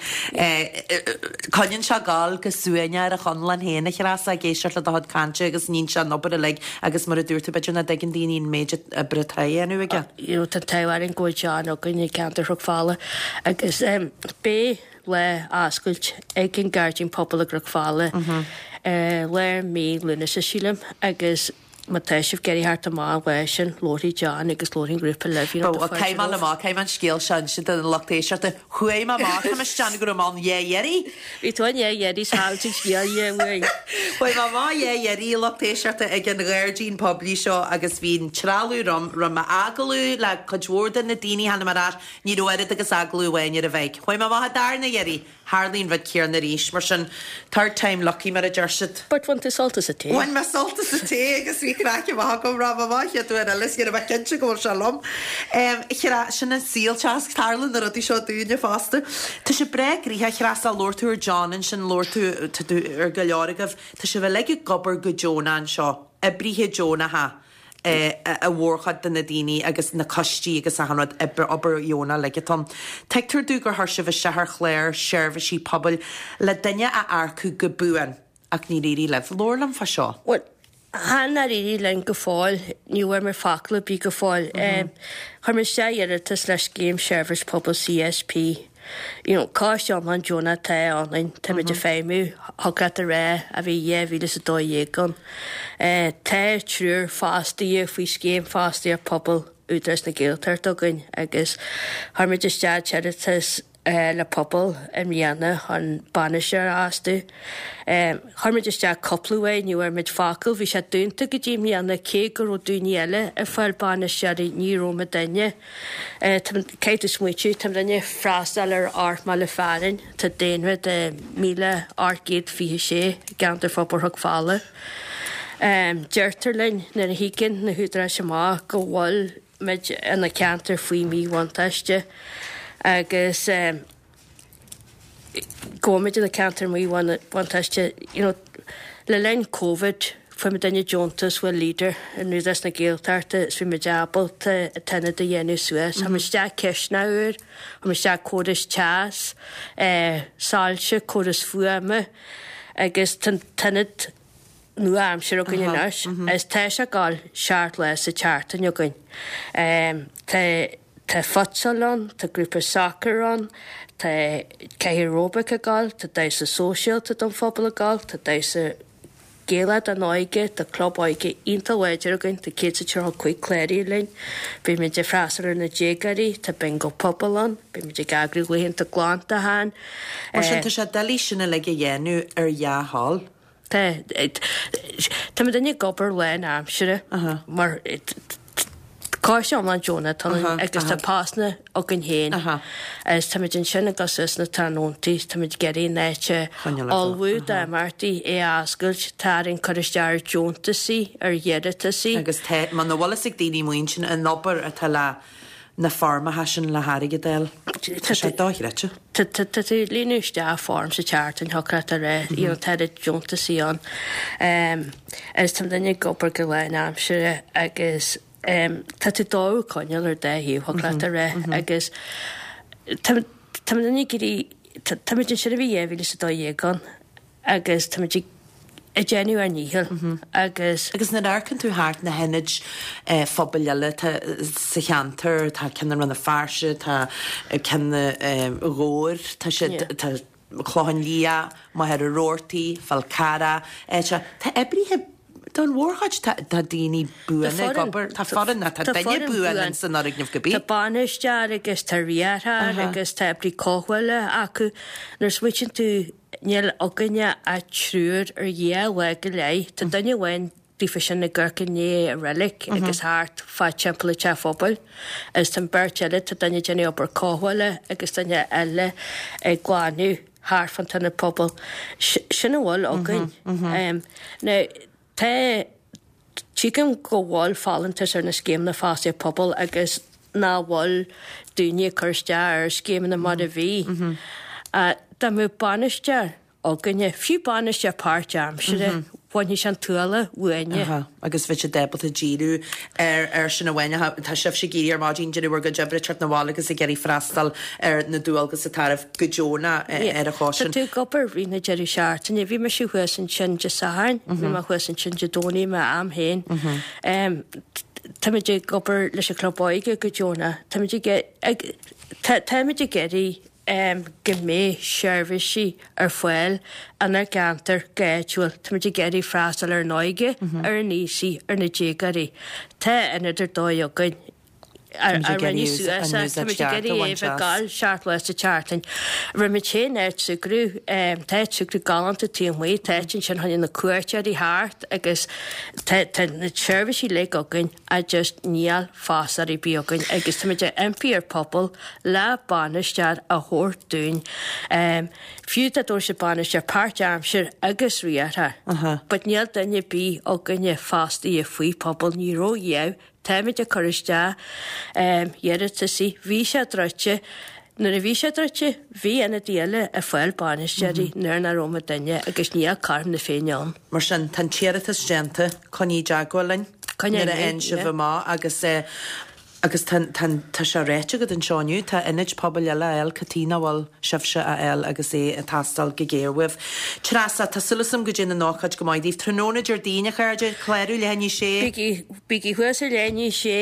Coinníonn sé ag gabháil go suaimhneach ar a chonlán féin, a Threasa, ag éisteacht le do chuid cainte agus níonn sé an obair uilig agus mar a dúirt tú, b'fhéidir nach dtuigeann daoine an méid oibre atá á dhéanamh aige. You know, tá an t-ádh orainn go bhfuil John againn i gceantar Chnoc Fola agus beidh lá oscailte ag an Gairdín Pobail i gCnoc Fola i lár mí Lúnasa, sílim, agus má tá sibh ag iarraidh theacht amach an lá sin, labharfaidh John agus labharfaidh an grúpa libh, you know, Bhuel, caithfidh mé amach, caithfidh mé an scéal seo a inse don lucht éisteachta. Chuaigh mé amach, tá mé ag déanamh go raibh mé ann dhá iarraidh. Bhí tú ann dhá iarraidh 's chaill tú an scéal dhá uair. Chuaigh mé amach dhá iarraidh, a lucht éisteachta, ag an ghairdín poiblí seo agus bhí an trealamh romham, rinne mé agallamh le cuid mhór de na daoine, tháinig mé ar ais, ní raibh oiread agus agallamh amháin ar an mhic. Chuaigh mé amach an darna iarraidh, tharlaigh an rud céanna arís. Mar sin, third time lucky, mar a deir siad. But bhain tú sult as an tae. Bhain mé sult as an tae agus bhí craic maith agam, rachaidh mé amach an chéad uair eile is ní raibh mé cinnte go bhfuil sé liom. Chra, sin an saol, teasc, tarlaíonn na rudaí seo dúinne fosta. Tá sé breá gnoitheach, a Threasa, labhair tú ar John ansin, labhair tú, tá tú ar go leor agaibh, tá sibh uilig ag obair go deonach anseo, oibrithe deonacha a mhórchuid de na daoine agus na coistí agus achan rud, obair, obair dheonach uilig atá ann. Tuigtear domh gur chuir sibh isteach ar chlár seirbhísí pobail le duine a earcú go buan ach níor éirigh libh. Labhair liom fá seo. Bhuel, chan éirigh linn go fóill, ní bhfuair mé focal ar bith go fóill. Chuir mé isteach iarratas le Scéim Seirbhís Pobail CSP. You know, coiste iomlán deonach atá ionainn, táimid ag feidhmiú, thig leat a rá, ó bhí 2012 ann. Tá triúr fostaithe faoi Scéim Fostaíocht Pobail Údarás na Gaeltachta againn agus chuir muid isteach iarratas le pobal i mbliana chun bainisteoir a fhostú. Chuir muid isteach cúpla uair, ní bhfuair muid focal, bhí sé dúnta go dtí i mbliana cé go raibh daoine eile ag fáil bainisteoirí, ní raibh muidinne. Caithfidh tú smaoitiú, tá muidinne ag freastal ar ocht mbaile fearainn, tá daonra de 1,826 i gceantar Forbartha Chnoc Fola. Deirtear linn nuair a thigeann na húdaráis amach go bhfuil muid ina ceantar faoi mhíbhuntáiste agus go bhfuil muid ina ceantar míbhuntáiste you know le linn Covid fuair muidinne deontas ó Leader in Údarás na Gaeltachta is bhí muid ábalta an t-ionad a dhéanamh suas. Chuir muid isteach cisteanach úr, chuir muid isteach córas teas, soilse, córas fuaime agus tá an t-ionad nua-aimseartha againn anois is tá sé ag gabháil seacht lá sa tseachtain againn. Tá tá futsal ann, tá grúpa sacair ann, tá cathaoir aeróbaic ag gabháil, tá damhsa sóisialta don phobal ag gabháil, tá damhsa Gaelach don óige, tá club óige iontach láidir againn, tá 135 cláraithe linn, bímid ag freastal ar na déagóirí, tá bingo pobail ann, bímid ag eagrú laethanta glantacháin. Mar sin, tá sé doiligh sin uilig a dhéanamh ar dhea-thoil. Tá. Tá muidinne ag obair lán-aimsire mar coiste iomlán deonach atá ann agus tá postanna againn féin agus táimid ansin ag dul suas sna tráthnóntaí, táimid ag iarraidh an áit a ullmhú d'imeachtaí, é a oscailt, tá orainn cur isteach ar deontasaí, ar iarratasaí. Agus tá, muna bhfuil fhios ag daoine amuigh ansin an obair atá le na foirmeacha sin le hairgead a fháil, tá sé dochreidte. Tá tú ag líonadh isteach form sa tseachtain, thiocfadh leat a rá, you know, tá oiread deontasaí ann. Agus tá muidinne ag obair go lán-aimsire agus tá tú dó a choinneáil ar dá thaobh, thiocfadh leat a rá, agus tá tá muidinne ag iarraidh, tá muid ansin ó bhí 2012 ann agus tá muid ag ag déanamh ár ndícheall agus. Agus nuair a amharcann tú thart na hionaid phobail eile atá sa cheantar, tá ceann i Rann na Feirste, tá ceann i nDobhar, tá siad, tá Clochán Liath, Machaire Rabhartaigh, Fál Carrach, tá oibrithe. Don mhórchuid tá tá daoine buana ag obair, tá foireann, tá duine buan in san fhoirgneamh cibé. Tá bainisteoir agus tá riarthóir agus tá oibrí cothabhála acu. Nuair a smaoitíonn tú níl againne ach triúr ar dhá lá go leith. Tá duine amháin daofa sin ag amharc i ndiaidh an reilig agus thart fá timpeall an teach phobail agus tá an beirt eile, tá duine ag déanamh obair cothabhála agus duine eile ag glanadh thart fán t-ionad pobail. Sin a bhfuil againn. Now, tá, tuigim go bhfuil folúntas ar na scéimeanna fostaíocht pobail agus nach bhfuil daoine ag cur isteach ar scéimeanna mar a bhí. Dá mbeadh bainisteoir againne, fiú bainisteoir páirtaimseartha, bhainfeadh sé an t-ualach uainne. Aha, agus bheadh siad ábalta díriú ar ar sin amháin. Tá sibhse ag éirí ar maidin, déanamh bhur gcuid oibre, teacht 'na bhaile agus ag iarraidh freastal ar na dualgas atá oraibh go deonach ar an chás sin. Tá tú ag obair rith na deireadh seachtaine. Bhí mise thuas ansin Dé Sathairn, bhí mé thuas ansin Dé Domhnaigh, m'am féin. Táimid ag obair leis an Chlub Óige go deonach. Táimid ag, táimid ag iarraidh go mbeidh seirbhísí ar fáil inár gceantar go háitiúil. Táimid ag iarraidh freastal ar an óige, ar an aosaigh, ar na déagóirí. Tá ionad ar dóigh againn a rinneadh suas é. Táimid ag iarraidh é a bheith ag gabháil seacht lá sa tseachtain. Rinne muid féin áit súgradh, tá áit súgradh galánta taobh amuigh, tá áit ansin chun na cuairteoirí thart agus tá na seirbhísí uilig againn. ach just níl fostóir ar bith againn agus táimid ag impí ar pobal le bainisteoir a thabhairt dúinn, fiú dá dtabharfadh siad bainisteoir páirt-aimsir agus riarthóir. But níl duine ar bith againne fostaithe faoi pobal, ní raibh riamh, táimid ag cur isteach iarratasaí, bhí sé druidte, nuair a bhí sé druidte, bhí ionadaí eile ag fáil bainisteoirí nuair nach raibh muidinne agus níl cothrom na Féinne ann. Mar sin, tá an t-iarratas déanta, coinnigh i dteagmháil linn nuair a fhaigheann sibh amach agus agus tá tá tá sé ráite agat anseo inniu, tá ionaid pobail eile á fháil, cad chuige nach bhfuil sibhse á fháil agus é ag teastáil go géar uaibh. Treasa, tá súil agam go dtéann an ócáid go maith daoibh. Tráthnóna Déardaoin, a chairde, clárú leath i ndiaidh a sé. Bígí bígí thuas ar leath i ndiaidh a sé,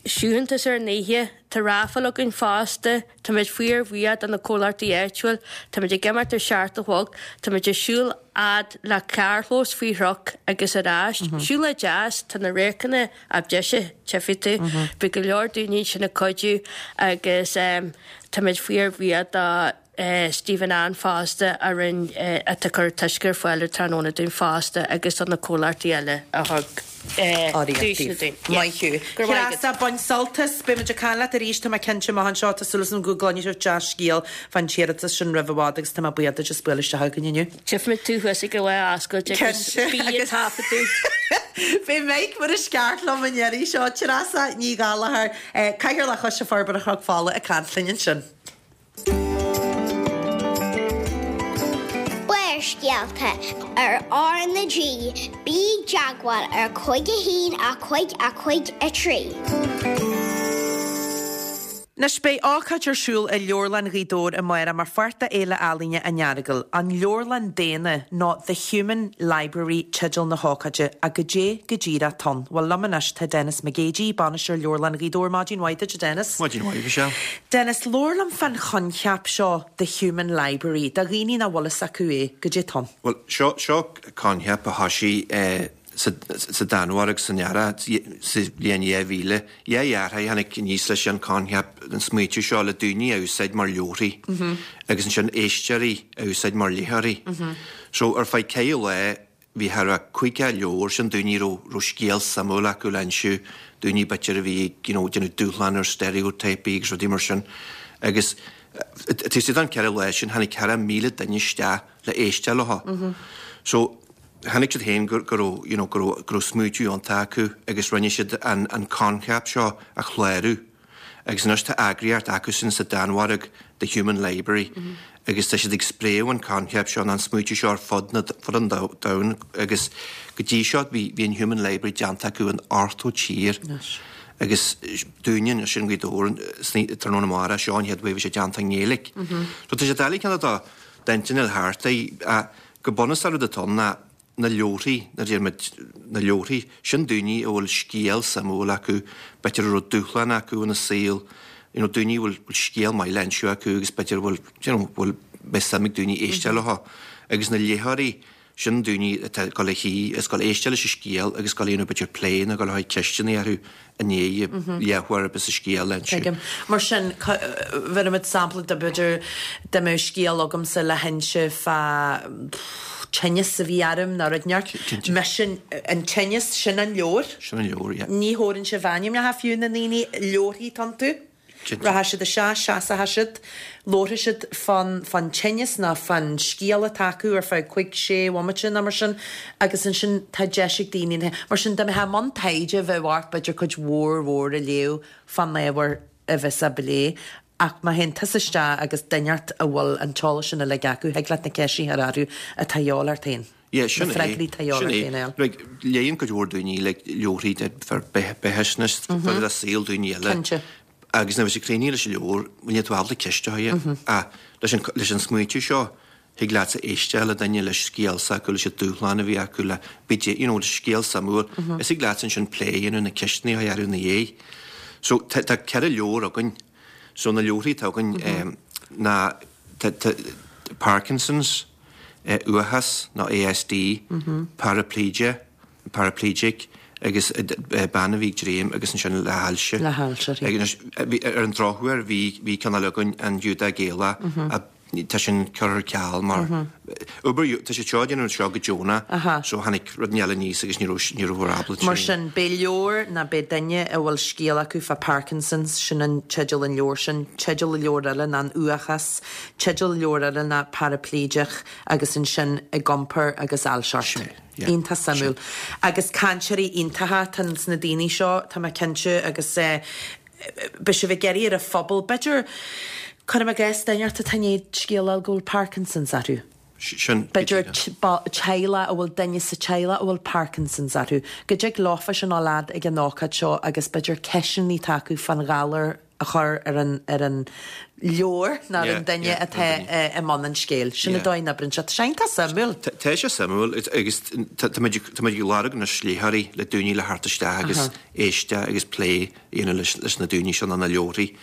suaitheantas ar an oíche, tá raifil againn fosta. Táimid fíorbhuíoch do na comhlachtaí áitiúil. Táimid ag imeacht ar 7 a chlog. Táimid ag siúl fhad le carrchlós faoi Shruc agus ar ais. Siúlóid deas, tá na radharcanna ab deise, tchífidh tú. Beidh go leor daoine ansin ag cuidiú agus táimid fíorbhuíoch do Stephen Ann fosta a rinn, atá ag cur an t-uisce ar fáil ar tráthnóna dúinn fosta agus do na comhlachtaí eile a thug. Urraíocht daoibh. Maith thú. Treasa, bain sult as. Beidh muid ag caint leat arís, tá mé cinnte, amach anseo. Tá súil agam go gcluinfidh sibh dea-scéal fán t-iarratas sin roimh i bhfad agus tá mé buíoch duit as bualadh isteach chugainn inniu. Tchífimid tú thuas ag an lá oscailte agus bí ag taifeadadh. Beidh Mike mar is ceart liom an iarraidh seo. Treasa Ní Ghallchóir, Cathaoirleach Choiste Forbartha Chnoc Fola ag caint linn ansin. Barrscéalta ar R na G, bí i dteagmháil ar 5 1 5 5 3. Anois beidh ócáid ar siúl i Leabharlann Ghaoth Dobhair amárach mar pháirt de Fhéile Ealaíne an Earagail, An Leabharlann Daonna nó The Human Library teideal na hócáide, ach goidé go díreach atá ann? Bhuel liom anois tá Denis McGeady, Bainisteoir Leabharlann Ghaoth Dobhair. Maidin mhaith duit a Dennis. Maidin mhaith, Michelle. Dennis, labhair liom fán choincheap seo The Human Library, do dhaoine nach bhfuil fhios acu é, goidé atá ann? Bhuel, seo, seo coincheap a thoisigh sa, sa Danmhairg san earrach sa bhliain 2000. Dhá dheartháir a tháinig aníos leis an coincheap, an smaoitiú seo le daoine a úsáid mar leabharthaí agus ansin éisteoirí a úsáid mar léitheoirí. So, ar feadh ceithre lá, Bhí thar a 50 leabhar, sin daoine a raibh raibh scéal suimiúil acu le insiú, daoine b'fhéidir a bhí ag you know déanamh dúshlán ar steiréotíopaí agus rudaí mar sin. Agus taobh istigh den cheithre lá sin tháinig thar a 1,000 duine isteach le éisteacht leo. So chonaic siad féin go go raibh you know go raibh go raibh smaoitiú iontach acu agus rinne siad an an coincheap seo a chlárú. Agus anois tá eagraíocht acusan sa Danmhairg, The Human Library, agus tá siad ag spréadh an coincheap seo, nó an smaoitiú seo ar fud na, fud an domhain agus go dtí seo bhí, bhí an Human Library déanta acu in 80 tír. Agus dúinne anois i nGaoth Dobhair san tráthnóna amárach, seo an chéad uair a bhí sé déanta i nGaeilge. So tá sé doiligh cineál do d'intinn a fháil thart é, go bunúsach rud atá ann ná na leabharthaí, nuair a deir muid na leabharthaí, sin daoine a bhfuil scéal suimiúil acu, b'fhéidir a raibh dúshlán acu ina saol, you know, daoine a bhfuil scéal maith le insiú acu agus b'fhéidir a bhfuil, you know, bhfuil, mbeidh suim ag daoine éisteacht leo. Agus na léitheoirí, Sin daoine atá ag dul a shuí is ag dul éisteacht leis an scéal agus ag dul a dhéanamh b'fhéidir plé nó ag dul a chur ceisteanna orthu i ndiaidh léitheoir ar bith sa scéal a inse. Tuigim. Mar sin, bheirimid sampla de b'fhéidir dá mbeadh scéal agamsa le hinse fá tinneas a bhí orm nó rud inteacht. Cinnte. Mise, an tinneas, sin an leabhar. Sin an leabhar, yeah. Ní thabharann sibh ainmneacha fiú na ndaoine, leabharthaí atá iontu. Cinnte. Rachaidh siad isteach, seasfaidh siad, labharfaidh siad fán, fán tinneas nó fán scéal atá acu ar feadh cuig, sé bhomaite nó mar sin agus ansin tá deis ag daoine na, mar sin dá mbeifeá i mbun taighde bheadh ort b'fhéidir cuid mhór mhór a léamh fán ábhar a bheas á bplé ach má théann tusa isteach agus duine ort a bhfuil an t-eolas sin uilig acu, thig leat na ceisteanna a chur orthu atá a dhíobháil ort féin. Yeah, sin Na é. freagraí atá a dhíobháil Sin ort é. féin a fháil. Like, léann cuid mhór daoine like, leabharthaí de fá beathaisnéis, fá de saol daoine eile. Cinnte. Agus nuair a bheas siad críochnaithe leis an leabhar, níl tú ábalta ceist a chur. Ach leis an, leis an smaoitiú seo, thig leatsa éisteacht le duine, le scéal s'acu, leis an dúshlán a bhí acu, le, b'fhéidir, you know, le scéal suimiúil. Is thig leatsa ansin plé a dhéanamh, na ceisteanna a chur orthu ina dhiaidh. So, tá, tá 4 leabhar againn. So, na leabharthaí atá againn ná, tá, tá, Parkinson's, uathachas nó ASD, paraplegia, paraplegic, agus bean a bhí ag dréim agus ansin le hailse. Le hailse, right. Anois, ar an drochuair, bhí, bhí ceann eile againn, an Giúdach Gaelach, a, tá sin curtha ar ceal mar, obair, tá siad seo ag déanamh seo go deonach, so tháinig rud eile aníos agus ní raibh, ní rabhamar ábalta. Mar sin, beidh leabhar nó beidh duine a bhfuil scéal acu fá Parkinson's, sin an teideal an leabhair sin, teideal an leabhair eile ná an uathachas, Teideal leabhair eile ná Parapléideach agus ansin Ag Iompar agus Ailseacht. Iontach suimiúil. Agus cainteoirí iontacha atá ins na daoine seo, tá mé cinnte, agus beidh sibh ag iarraidh ar an phobal, b'fhéidir, cuirim i gcás, duine ort atá i ndiaidh scéal a fháil go bhfuil Parkinson's orthu. Sin, B'fhéidir teaghlach a bhfuil duine sa teaghlach a bhfuil Parkinson's orthu, go dtig leofa sin a dhul fhad ag an ócáid seo agus b'fhéidir ceisteanna atá acu fán ghalar a chur ar an ar an leabhar nó ar an duine atá i mbun an scéil. Sin an dóigh a n-oibríonn sé. Tá sé iontach suimiúil. Tá sé suimiúil agus tá muid ag lorg anois léitheoirí le daoine le theacht isteach agus éisteacht agus plé a dhéanamh leis na daoine seo nó na leabharthaí.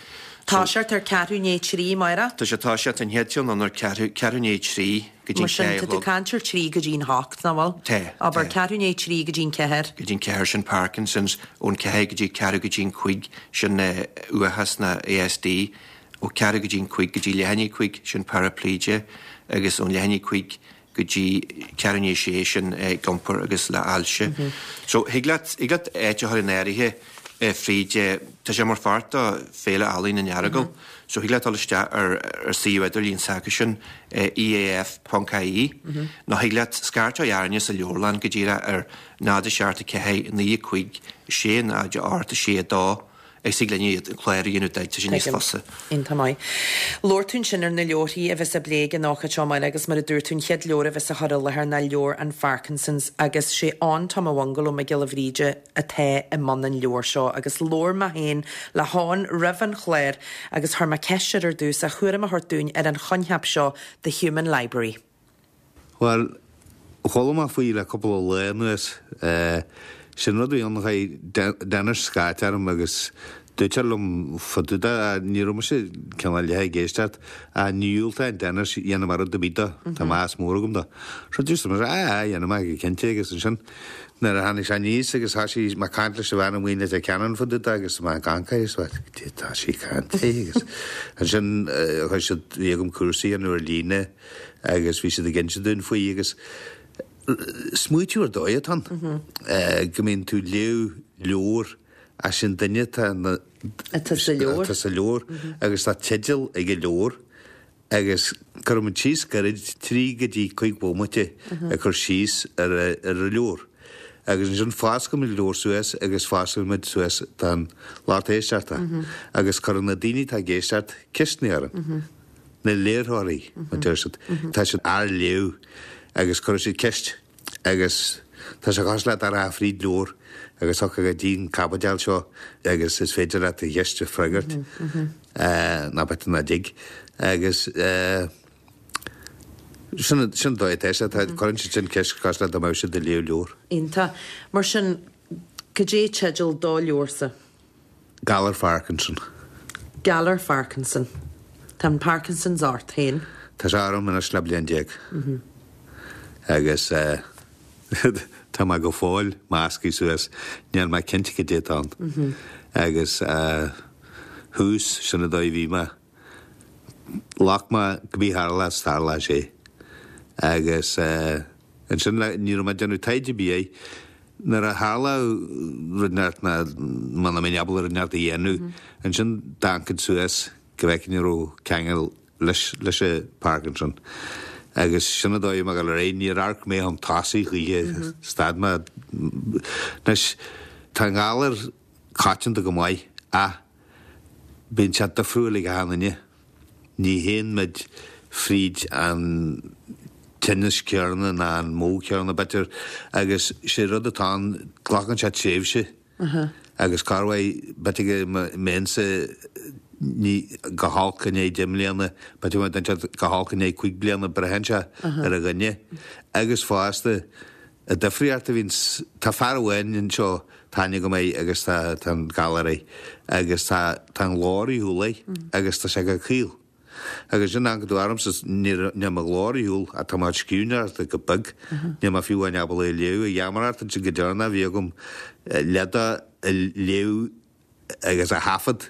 Toiseacht ar ceathrú i ndiaidh 3, amárach? Tá sé toiseacht an chéad cheann ann ar ceathrú i ndiaidh 3 go dtí Mar sin, an tá tú 4 a chlog. caint ar 3 go dtí an 8, nach bhfuil? Tá, Abair, tá. ceathrú i ndiaidh 3 go dtí an 4. Go dtí an 4, sin Parkinson's, ón 4 go dtí ceathrú go dtí an 5, sin uathachas nó ASD, ó ceathrú go dtí an 5 go dtí leath i ndiaidh 5, sin paraplegia, agus ón leath i ndiaidh 5 go dtí ceathrú i ndiaidh 6, sin ag iompar agus le ailse. So, thig leat, thig leat áit a chur in áirithe fríd, tá sé mar pháirt de Féile Ealaíon an Earagail, so thig leat dul isteach ar ar suíomh idirlín s'acusan, eaf ponc ie, nó thig leat scairteadh orainne sa leabharlann go díreach ar 0 7 4 9 5 6 0 8 6 2 agus thig linn iad an clár a dhéanamh duit, tá sé níos Tuigim. fusa. Iontach maith. Labhair tú ansin ar na leabharthaí a bheas á bplé ag an ócáid seo amárach agus mar a dúirt tú an chéad leabhar a bheas á chur i láthair ná leabhar an Pharkinson's agus sé Eoin Tom a' Bhungaló Mac Giolla Bhríde atá i mbun an leabhair seo agus labhair mé féin le hEoin roimh an chlár agus chuir mé ceist air ar dtús a thuairim a thabhairt dúinn ar an choincheap seo The Human Library. Bhuel, chuala mé faoi le cúpla lá anuas. Sin rud a bhí ann, chuir Dennis scairt orm agus dúirt sé liom fá dtaobh de, ní raibh mise cineál leath ag éisteacht, ach ní dhiúltóinn Dennis dhéanamh rud ar bith dó, tá meas mór agam dó. So dúirt mise, aye aye, dhéanfaidh mé go cinnte agus ansin nuair a tháinig sé aníos agus thoisigh mé ag caint leis an bhean amuigh i Leitir Ceanainn fá dtaobh de agus mé ag amharc air agus mé, tá sí ag caint léi agus ansin chuir siad, bhí agam cúrsa a dhéanamh ar líne agus bhí siad ag inse dúinn faoi agus smaoitiú ar dóigh atá ann, go mbíonn tú ag léamh leabhar ach sin duine atá Atá sa leabhar. Atá sa leabhar agus tá teideal ag an leabhar agus cuireann muid síos gairid, 3 go dtí 5 bhomaite ag cur síos ar ar an leabhar. Agus ansin fosclaíonn muid an leabhar suas agus fosclaíonn muid suas don lucht éisteachta agus cuireann na daoine atá ag éisteacht ceisteanna orainn. Na léitheoirí, mar deir siad, tá siad ár léamh agus cuireann siad ceist agus tá sé cosúil le dá rachfá fríd leabhar agus thiocfá go dtí an caibidil seo agus is féidir leat do cheist a freagairt ná b'fhéidir nach dtig agus sin sin an dóigh atá sé, tá cuireann siad sin ceist cosúil le dá mbeadh siad ag léamh leabhar. Iontach. Mar sin, cad é teideal do leabharsa? Galar Pharkinson. Galar Pharkinson. Tá an Parkinson's ort féin. Tá sé orm anois le bliain. Agus tá mé go fóill measctha suas, níl mé cinnte cad é atá ann. Agus thuas, sin an dóigh a bhí mé. Ghlac mé cibé a tharlós, tarlóidh sé. Agus ansin ní raibh mé ag déanamh taighde ar bith air. Nuair a tharla rud inteacht ná muna mbeinn ábalta rud inteacht a dhéanamh, ansin d'amharcfainn suas go bhfeicfinn an raibh ceangal leis leis an Parkinson. Agus sin an dóigh a bhí mé ag dul ar aghaidh, níor amharc mé chun tosaigh choíche, stad mé. Anois, tá an galar coitianta go maith ach bíonn sé difriúil ag achan duine. Ní théann muid fríd an tinneas céarna ná an modh céarna, b'fhéidir, agus sé rud atá ann, glacann sé tréimhse. Agus corruair, b'fhéidir go mbeinnse ní go holc i ndiaidh 10 mbliana, b'fhéidir go mbeadh duine go holc i ndiaidh 5 bliana, braitheann sé ar an dhuine. Agus fosta, an difríocht a bhíonns, tá fear amháin anseo, tá aithne agam air agus tá tá an galar air agus tá tá an glór ar shiúl air agus tá sé go caol. Agus sin an tú ormsa, níl mo ghlór ar shiúl ach tá mo chuid scríbhneoireachta go beag, níl mé fiú amháin ábalta a léamh, a gheamaireacht ansin go deireanach bhí agam leid a léamh agus a thaifead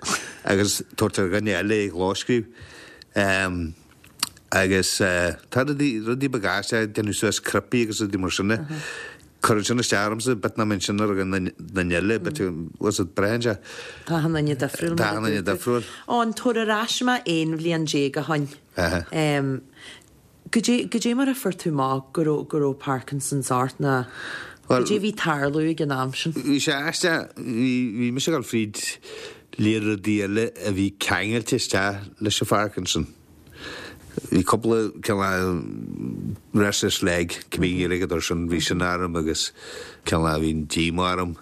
agus tabhairt ar dhuine eile é a chlóscríobh. Agus tá rudaí, rudaí beaga aisteacha, déanamh suas cnaipí agus rudaí mar sin. Cuireann sin isteach ormsa, b'fhéidir nach mbíonn sin ar dhuine eile, b'fhéidir, bhfuil a fhios agat, braitheann sé. Tá achan duine difriúil mar a dúirt tú. Tá achan duine difriúil. Ó, an tabhair ar ais mé 11 bhliain ó shoin. Goidé, goidé mar a fuair tú amach go raibh, go raibh Parkinson's ort ná goidé a bhí ag tarlú ag an am sin? Bhí sé aisteach, bhí, bhí mise ag dul fríd lear rudaí eile a bhí ceangailte isteach leis an Pharkinson. Bhí cúpla cineál restless leg, cibé Gaeilge air sin, bhí sin orm agus cineál bhí an díomá orm.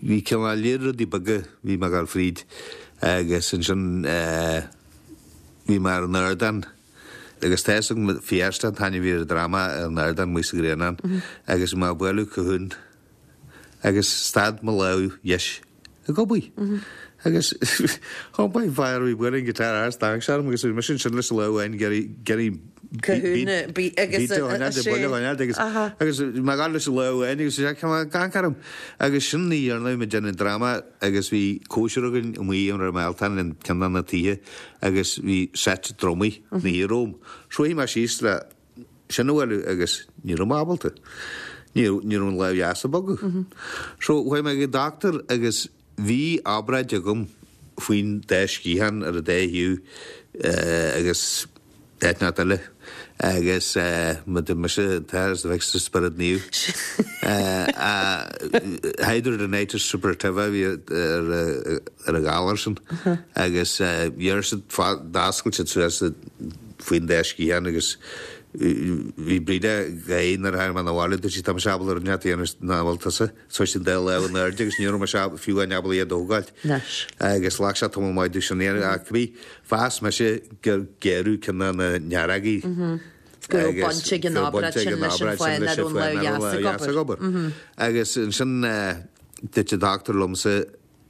Bhí cineál lear rudaí beaga bhí mé ag dul fríd agus ansin bhí mé ar an ardán agus tá fhios agam Fiesta an t-ainm a bhí ar an dráma ar an ardán amuigh sa Ghrianán agus bhí mé ag bualadh cajon agus stad mo lámh dheis ag obair. Agus thiompaigh an fear a bhí ag bualadh an guitar thart, d'amharc sé orm agus bhí mise ansin leis an lámh amháin ag iarraidh iarraidh Cajon beat agus a choinneáil de buille a choinneáil agus agus bhí mé ag gabháil leis an lámh amháin agus bhí sé ag amharc orm agus sin an oíche dheireanach bhí mé ag déanamh an dráma agus bhí cóisir againn amuigh an raibh Mealtán in ceann de na tithe agus bhí seit drumaí ina shuí romham. So shuigh mé síos le sin a bhualadh agus ní raibh mé ábalta. Ní ní raibh an lámh dheas ag bogadh. So chuaigh mé ag an doctor agus bhí obráid agam faoin dá sciathán ar an dá thaobh agus áit inteacht eile agus má d'fhan mise an t-Athair is an Mhic is an Spiorad Naomh. Hidradenitis suppurativa a bhí ar an ghalar sin agus dhear siad d'oscail siad suas faoin dá sciathán agus bhí Breda ag gáire nuair a tháinig mé 'na bhaile, dúirt sí tá mise ábalta rud inteacht a dhéanamh nach bhfuil tusa. Thosaigh an dá lámh in airde agus ní raibh mise fiú amháin ábalta iad a thógáilt. Agus ghlac sé tamall maith domh sin a dhéanamh ach bhí, mheas mise gur géarú ceann de na nearógaí. Go raibh baint ag an obráid sin leis an fáth nach raibh an lámh dheas ag obair. Agus ansin dúirt an dochtúir liomsa,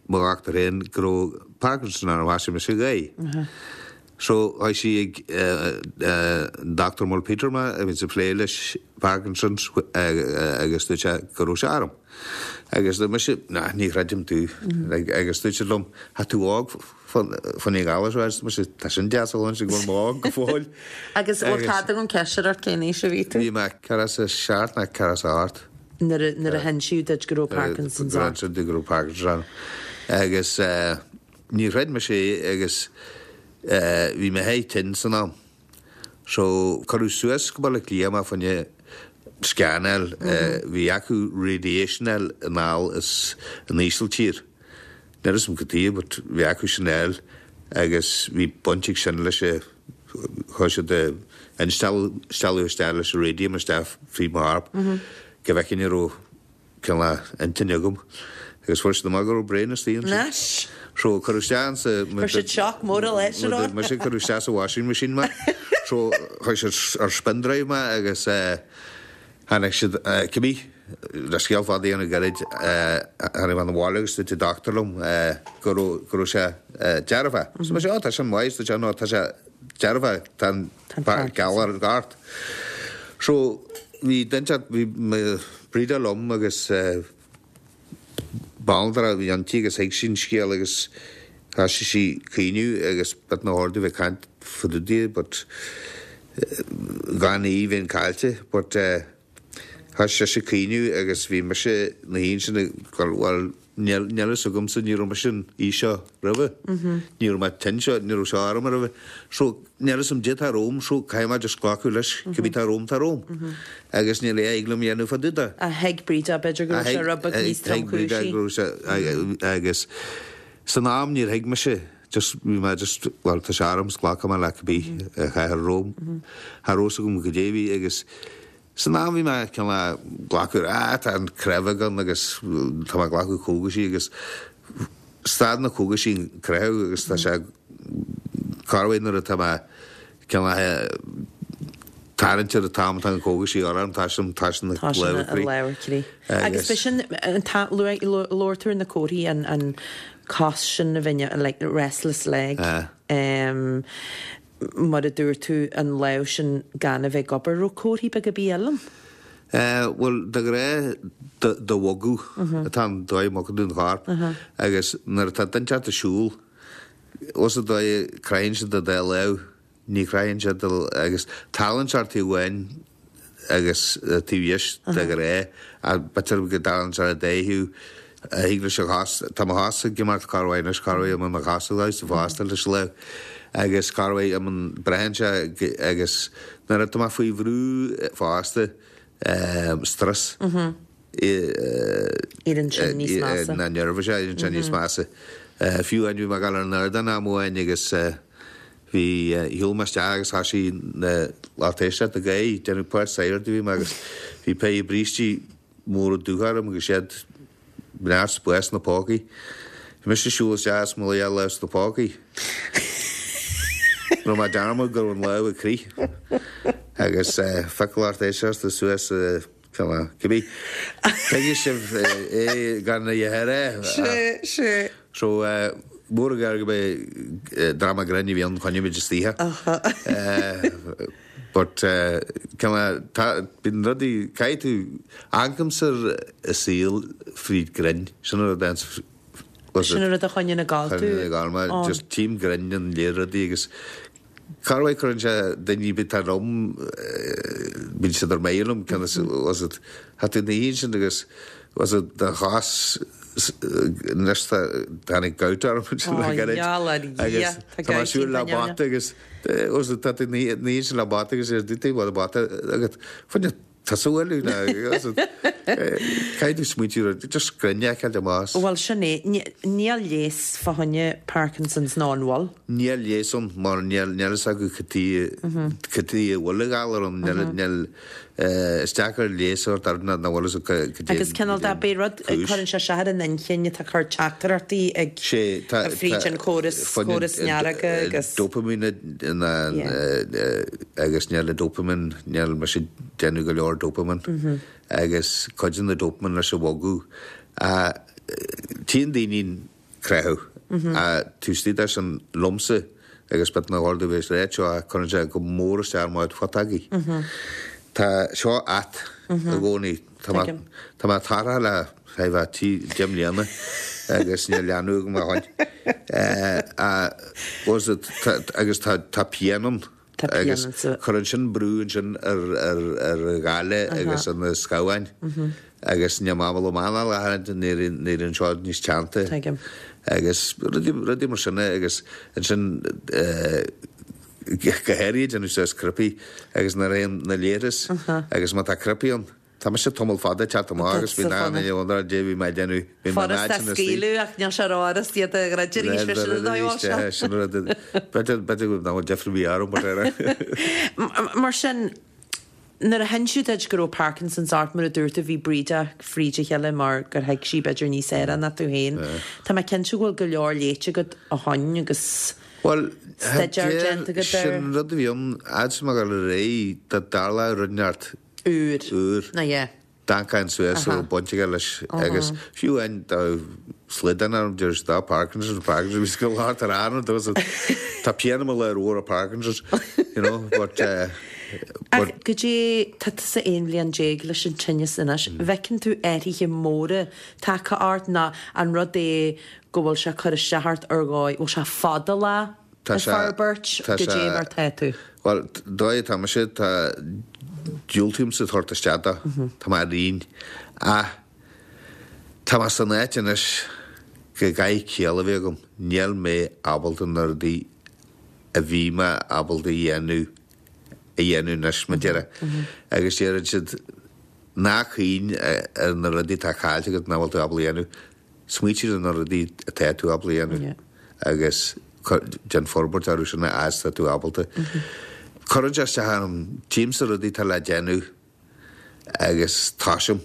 mo dhochtúir féin go raibh Parkinson orm thosaigh mise ag gáire. So chuaigh sí ag an Dr Mol Peter mé a bhíonns ag plé leis Parkinson's agus dúirt sé go raibh sé orm. Agus dúirt mise nah ní chreidim tú agus dúirt siad liom tá tú óg fá choinne an ghalar seo agus dúirt mise tá sin deas a chluinstin go bhfuil mé óg go fóill. Agus bhfuil cead agam ceist a chur ort cén aois a bhí tú? Bhí mé 47 nó 48. Nuair a hinsíodh duit go raibh Parkinson's ort. Nuair a hinsíodh go raibh Parkinson's orm. Agus níor chreid mise é agus bhí mé thigh tinn san am. So cuireadh suas go Baile Átha Cliath mé fá choinne scannáil. Bhí acu radiation a fháil anall as an Ísiltír. Níl 'fhios a'm cad tuige but bhí acu sin a fháil agus bhí baint ag sin leis a chuir siad instealladh isteach leis an radium isteach fríd mo chorp go bhfeicfinn an raibh cineál intinn agam agus fuair siad amach go raibh brain istigh ansin. Anois. So cuireadh isteach ansa Chuir siad shock mór a leis ar mise cuireadh isteach sa washing machine mé so chuir siad ar spin drive mé agus eh Tháinig siad, cibé, le scéal fada a dhéanamh gairid, tháinig mé 'na bhaile agus dúirt an dochtúir liom go raibh, go raibh sé dearfach. So mise, oh tá sin maith, dúirt sé, no tá sé dearfach, tá an galar ort. So. bhí duine inteacht, bhí mo Bríde liom agus banaltra a bhí inti agus thuig sí an scéal agus thoisigh sí caoineadh agus bit na hordú bheith caint fá dtaobh di but gan í bheinn caillte but thoisigh sise caoineadh agus bhí mise na haon sin ag dul bhuel níl níl fhios agamsa ní raibh mise in aois seo roimhe ní raibh mé tinn seo ní raibh seo orm roimhe so níl fhios a'm caidé atá romham so caithfidh mé just glacadh leis cibé atá romham tá romham agus níl a fhios liom a dhéanamh fá dtaobh de. Ach thuig Bríde b'fhéidir go raibh sé rud beag níos tromchúisí. Agus san am níor thuig mise just bhí mé just bhuel tá sé orm 's glacfaidh mé le cibé a chaithfear romham. Cha raibh fhios agam goidé a bhí agus san am bhí mé cineál glacadh ah tá an creimeadh ann agus tá mé ag glacadh cógaisí agus stad na cógaisí an creathadh agus tá sé corruair nuair atá mé cineál tarraingt ar an t-am atá na cógaisí orm tá sin tá sin na Tá sin an lámh ar crith. Agus b'shin an t-am labhair tú ar na comharthaí an an cos sin a bheith like restless leg. Mar a dúirt tú an lámh sin gan a bheith ag obair raibh comharthaí beaga ar bith eile ann? Bhuel de ghnáth do bhogadh atá an dóigh a mbogann tú an chorp agus nuair atá duine inteacht ag siúl os an dóigh a gcroitheann siad do dá lámh ní chroitheann siad do agus tarlaíonn sé ar taobh amháin agus taobh dheis de ghnáth ach b'fhéidir go dtarlaíonn sé ar an dá thaobh a thig leis an chos tá mo chos ag imeacht corruair anois corruair imíonn mo chos ag damhsa fosta leis an lámh agus corruair imíonn braitheann sé agus nuair atá mé faoi bhrú fosta strus Éiríonn sin níos measa. na nervous éiríonn sé níos measa. Fiú amháin bhí mé ag dul ar an ardán am amháin agus bhí shiúil mé isteach agus thoisigh na lucht éisteachta ag gáire déanamh páirt sagart a bhí mé agus bhí péire brístí móra dubha orm agus iad neart spáis sna pócaí. Bhí mise ag siúl isteach is mo lámh sna pócaí. Rinne mé dearmad go raibh an lámh ag crith agus phioc lucht éisteachta suas Cibé. Tuigfidh sibh é gan a dhath a rá. Sé, sé. So, mór an gar go mbeidh dráma grinn a bhí ann choinnigh muid istoíche. But, cineál, tá, bíonn rudaí, caithfidh tú, amharcaimse ar an saol fríd grinn, sin an rud a Sin an rud a choinníonn ag gabháil tú. Choinníonn ag gabháil mé, just tchím grinn in lear rudaí agus Corruair cuireann sé daoine bith atá liom, bíonn siad ar mire liom, cionn is, was it, tá tú ina dhiaidh sin agus was it do chos anois tá tháinig gout orm ansin le gairid agus tá mé ag siúl le bata agus was it tá tú ina dhiaidh sin le bata agus ar dtí bhfuil bata agat fuinneamh Tusa a bhualadh ná caithfidh tú smaointiú ar just grinn a fheiceáil amach. Bhuel sin é. Níl leigheas fá choinne Parkinson's nó an bhfuil? Níl leigheas ann mar níl fhios acu cad tuige a bhfuil an galar ann. Níl, is deacair leigheas a thabhairt air nach bhfuil fhios acu cad é Agus cineál de b'é rud, cuireann sé isteach ar an inchinn atá ag cur teachtaireachtaí ag fríd an chóras, córas nearga agus. Dopamine agus níl an dopamine, níl mise ag déanamh go leor dopamine agus cuidíonn na dopamine leis an bhogadh. Tchíonn daoine an creathadh taobh istigh de sin liomsa agus bit na hordú bheith réidh seo cuireann sé go mór isteach ar mo chuid agaí. Tá seo ait i gcónaí. Tá mé tá mé tarraithe le feadh tí 10 mbliana agus níl leanbh agam ó shin. Agus tá pian ann. Tá pian Agus ann. cuireann sin brú ansin ar ar ar an ghaile agus ar na scamháin agus níl mé ábalta m'anáil a tharraingt nuair éiríonn seo níos teannta. Tuigim. Agus rudaí rudaí mar sin agus ansin go háirithe déanamh suas cnaipí agus nuair a théann na leithreas agus má tá cnaipí ann Tá mise tamall fada ag teacht amach agus bhí na na dé bhí mé ag déanamh bhí mé Furasta a scaoileadh ach níl sé rófhurast iad a dhruid arís mar sin an dóigh a bhfuil sé. Sin rud b'fhéidir b'fhéidir go bhfuil difear a bhí orm mar Mar sin, nuair a hinsíodh duit go raibh Parkinson's ort, mar a dúirt tú, bhí Brídeach fríd a chéile mar gur thuig sí b'fhéidir níos fhearra ná tú féin. Tá mé cinnte go bhfuil go leor léite agat ó shoin agus Bhuel, staidéar déanta agat air. Sin rud a bhí ann, fhad is mé ag dul ar aghaidh, dá dtarlódh rud inteacht úr. Úr. Ná yeah. D'amharcfainn suas a raibh baint aige leis agus fiú amháin dá slaghdán orm deir siad, ah Parkinson's, Parkinson's, bhí go leor tar ann dó so tá pian i mo lámh ó Parkinson's, you know, but eh. Ach goidé, tá tusa 11 bhliain leis an tinneas anois, an bhfeiceann tú athruithe móra tagtha ort nó an rud é go bhfuil sé ag cur isteach ort ar dhóigh, bhfuil sé fadálach Tá ag sé, forbairt, tá sé, goidé mar tá tú? bhuel, dóigh atá mise, tá, diúltaímse tabhairt isteach dó, tá mé ar aon, ach tá mé san áit anois go gcaithfidh ciall a bheith agam, níl mé ábalta na rudaí a bhí mé ábalta a dhéanamh a dhéanamh anois, mar a déarfá. Agus deireann siad, ná cuimhnigh ar na rudaí atá caillte agat nach bhfuil tú ábalta a dhéanamh, smaoitigh ar na rudaí atá tú ábalta a dhéanamh agus déan forbairt orthu sin a fhad is atá tú ábalta. Cuireann sé isteach orm, tchímse rudaí atá le déanamh agus tosaím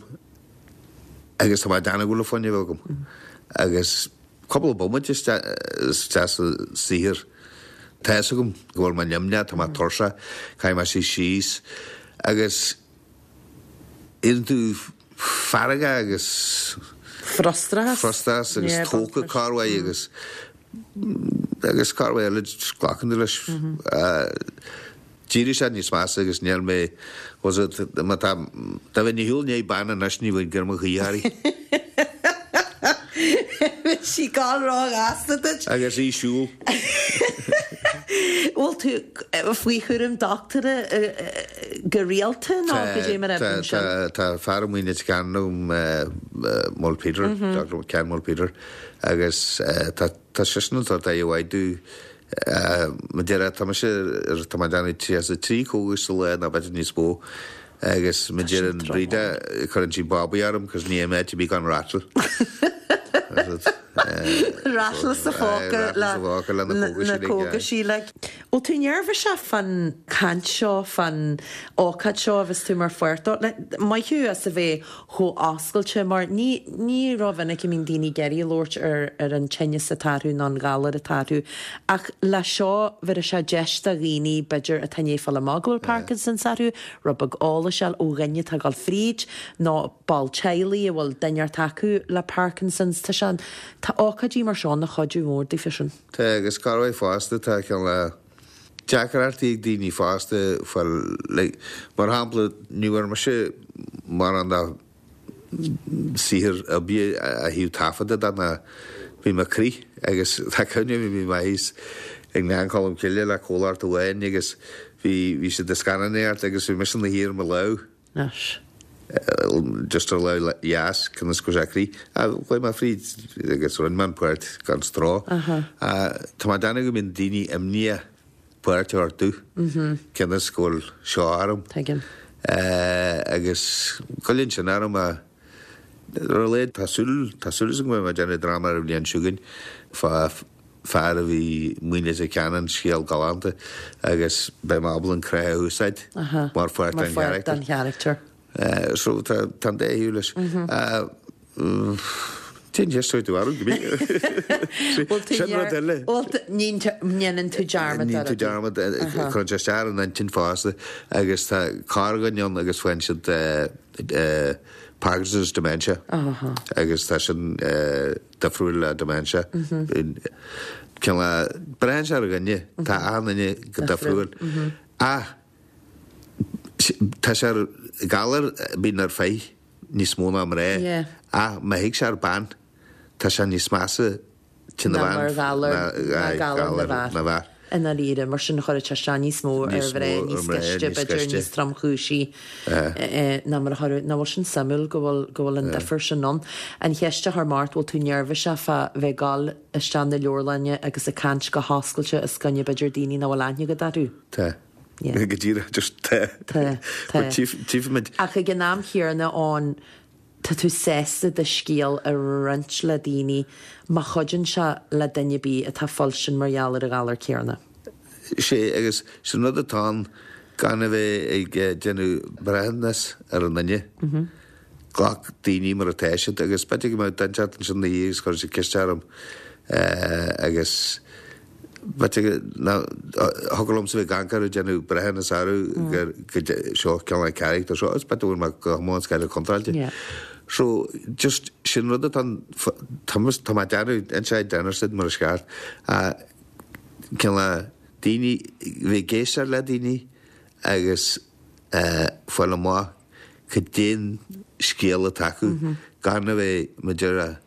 agus tá mé ag déanamh go bhfuil an fuinneamh agam agus cúpla bomaite isteach sa saothar tá fhios agam go bhfuil mé nimhneach, tá mé tuirseach, caithfidh mé suí síos agus éiríonn tú feargach agus Frustrachas. frustrachas agus tógtha corruair agus agus corruair eile glacann tú leis. D'éirigh sé níos measa agus níl mé, was it, má tá, dá mbeinn ar shiúl i ndiaidh bean anois ní bheinn ag iarraidh mo choíche uirthi. Bheadh sí ag gabháil róghasta duit. Agus í siúl. Bhfuil tú faoi chúram dochtúra go rialta nó goidé mar a oibríonn sin? Tá fear amuigh in Leitir Ceanainn agam, Mulpeter, Doctor Ken Mulpeter, agus tá Tá seisean ag tabhairt aire mhaith domh. Mar a déarfá, tá mise ar, tá mé ag déanamh 33 cógais sa lá nó b'fhéidir níos mó agus mar a deireann Breda, cuireann sí bobby orm cos ní fhaighim áit ar bith gan rattle. Rattle sa phóca le na cógaisí like. Bhfuil tú neirbhíseach fán chaint seo, fán ócáid seo a bheas tú mar pháirt dó? Maith thú as a bheith chomh oscailte mar ní ní rómhinic a mbíonn daoine ag iarraidh labhairt ar ar an tinneas atá orthu nó an galar atá orthu ach le seo bhéarfaidh sé deis do dhaoine b'fhéidir atá i ndiaidh fáil amach go bhfuil Parkinson's orthu rud beag eolais a fháil ó dhuine atá ag dul fríd nó ball teaghlaigh a bhfuil duine inteacht acu le Parkinson's. Tá sé tá ócáidí mar seo ina chuidiú mór daofa sin. Tá agus corruair fosta tá cineál deacrachtaí ag daoine fásta fáil like mar shampla ní bhfuair mise mórán de saothar oibre ó thaobh taifeadta de ná bhí mé ag crith agus tá cuimhne agam bhí mé thíos i nGleann Cholm Cille le comhlacht amháin agus bhí bhí siad ag scannánaíocht agus bhí mise ina shuí ar mo lámh Anois. Just ar lámh dheas, cionn is go raibh sé ag crith. Chuaigh mé fríd agus rinne mé an pháirt gan stró. Tá mé ag déanamh go mbíonn daoine imníoch páirt a thabhairt domh, cionn is go bhfuil seo orm. Tuigim. Agus goilleann sin orm ar a laghad tá súil, tá súil agam go mbeidh mé ag déanamh dráma ar an bhliain seo chugainn fá fear a bhí amuigh i Leitir Ceanainn, scéal galánta, agus beidh mé ábalta an crith a úsáid mar pháirt den Mar pháirt den charachtar. So tá tá an dá thaobh leis. Cén cheist a chuir tú orm, go bí? Sin rud eile. Bhuel, ní ndéanann tú dearmad Ní tú dearmad, cuireann sé isteach ar an intinn fosta agus tá corrdhuine ann agus faigheann siad Parkinson's dementia agus tá sin difriúil le dementia. Cineál, braitheann sé ar dhuine, tá achan duine go difriúil. Ach tá sé ar galar a bhíonn ar fir níos mó ná mná. Ach má thig sé ar bean, tá sé níos measa ná mar ghalar ná galar na bhfear. I ndáiríre, mar sin chuirfeadh sé isteach níos mó ar mhná, níos gaiste, b'fhéidir, níos tromchúisí ná mar a chuirfeadh. Nach bhfuil sin suimiúil go bhfuil, go bhfuil an difear sin ann. An cheist a chuir mé ort, bhfuil tú neirbhíseach fá bheith ag dul isteach na leabharlainne agus ag caint go hoscailte os coinne b'fhéidir daoine nach bhfuil aithne agat orthu? Tá. Go díreach, just tá. Tá, tá. But tchífimid. Ach ag an am chéanna ann, Tá tú sásta do scéal a roinnt le daoine má chuidíonn sé le duine ar bith atá ag fuilstin mar gheall ar an ghalar céanna. Sé, agus sin rud atá ann, gan a bheith ag déanamh breithiúnas ar an nduine. Glac daoine mar atá siad agus b'fhéidir go mbeadh duine inteacht ansin ina dhiaidh agus chuirfeadh siad ceist orm agus b'fhéidir nach thiocfadh liomsa bheith ag amharc orthu ag déanamh breithiúnas orthu gur go seo cineál an charachtar seo agus b'fhéidir go bhfuil mé go hiomlán scaoilte contráilte. So just sin rud atá tá tá mé ag déanamh inside dinner mar is ceart cineál daoine bheith ag éisteacht le daoine. agus fáil amach cad é an scéal atá acu gan a bheith, mar a déarfá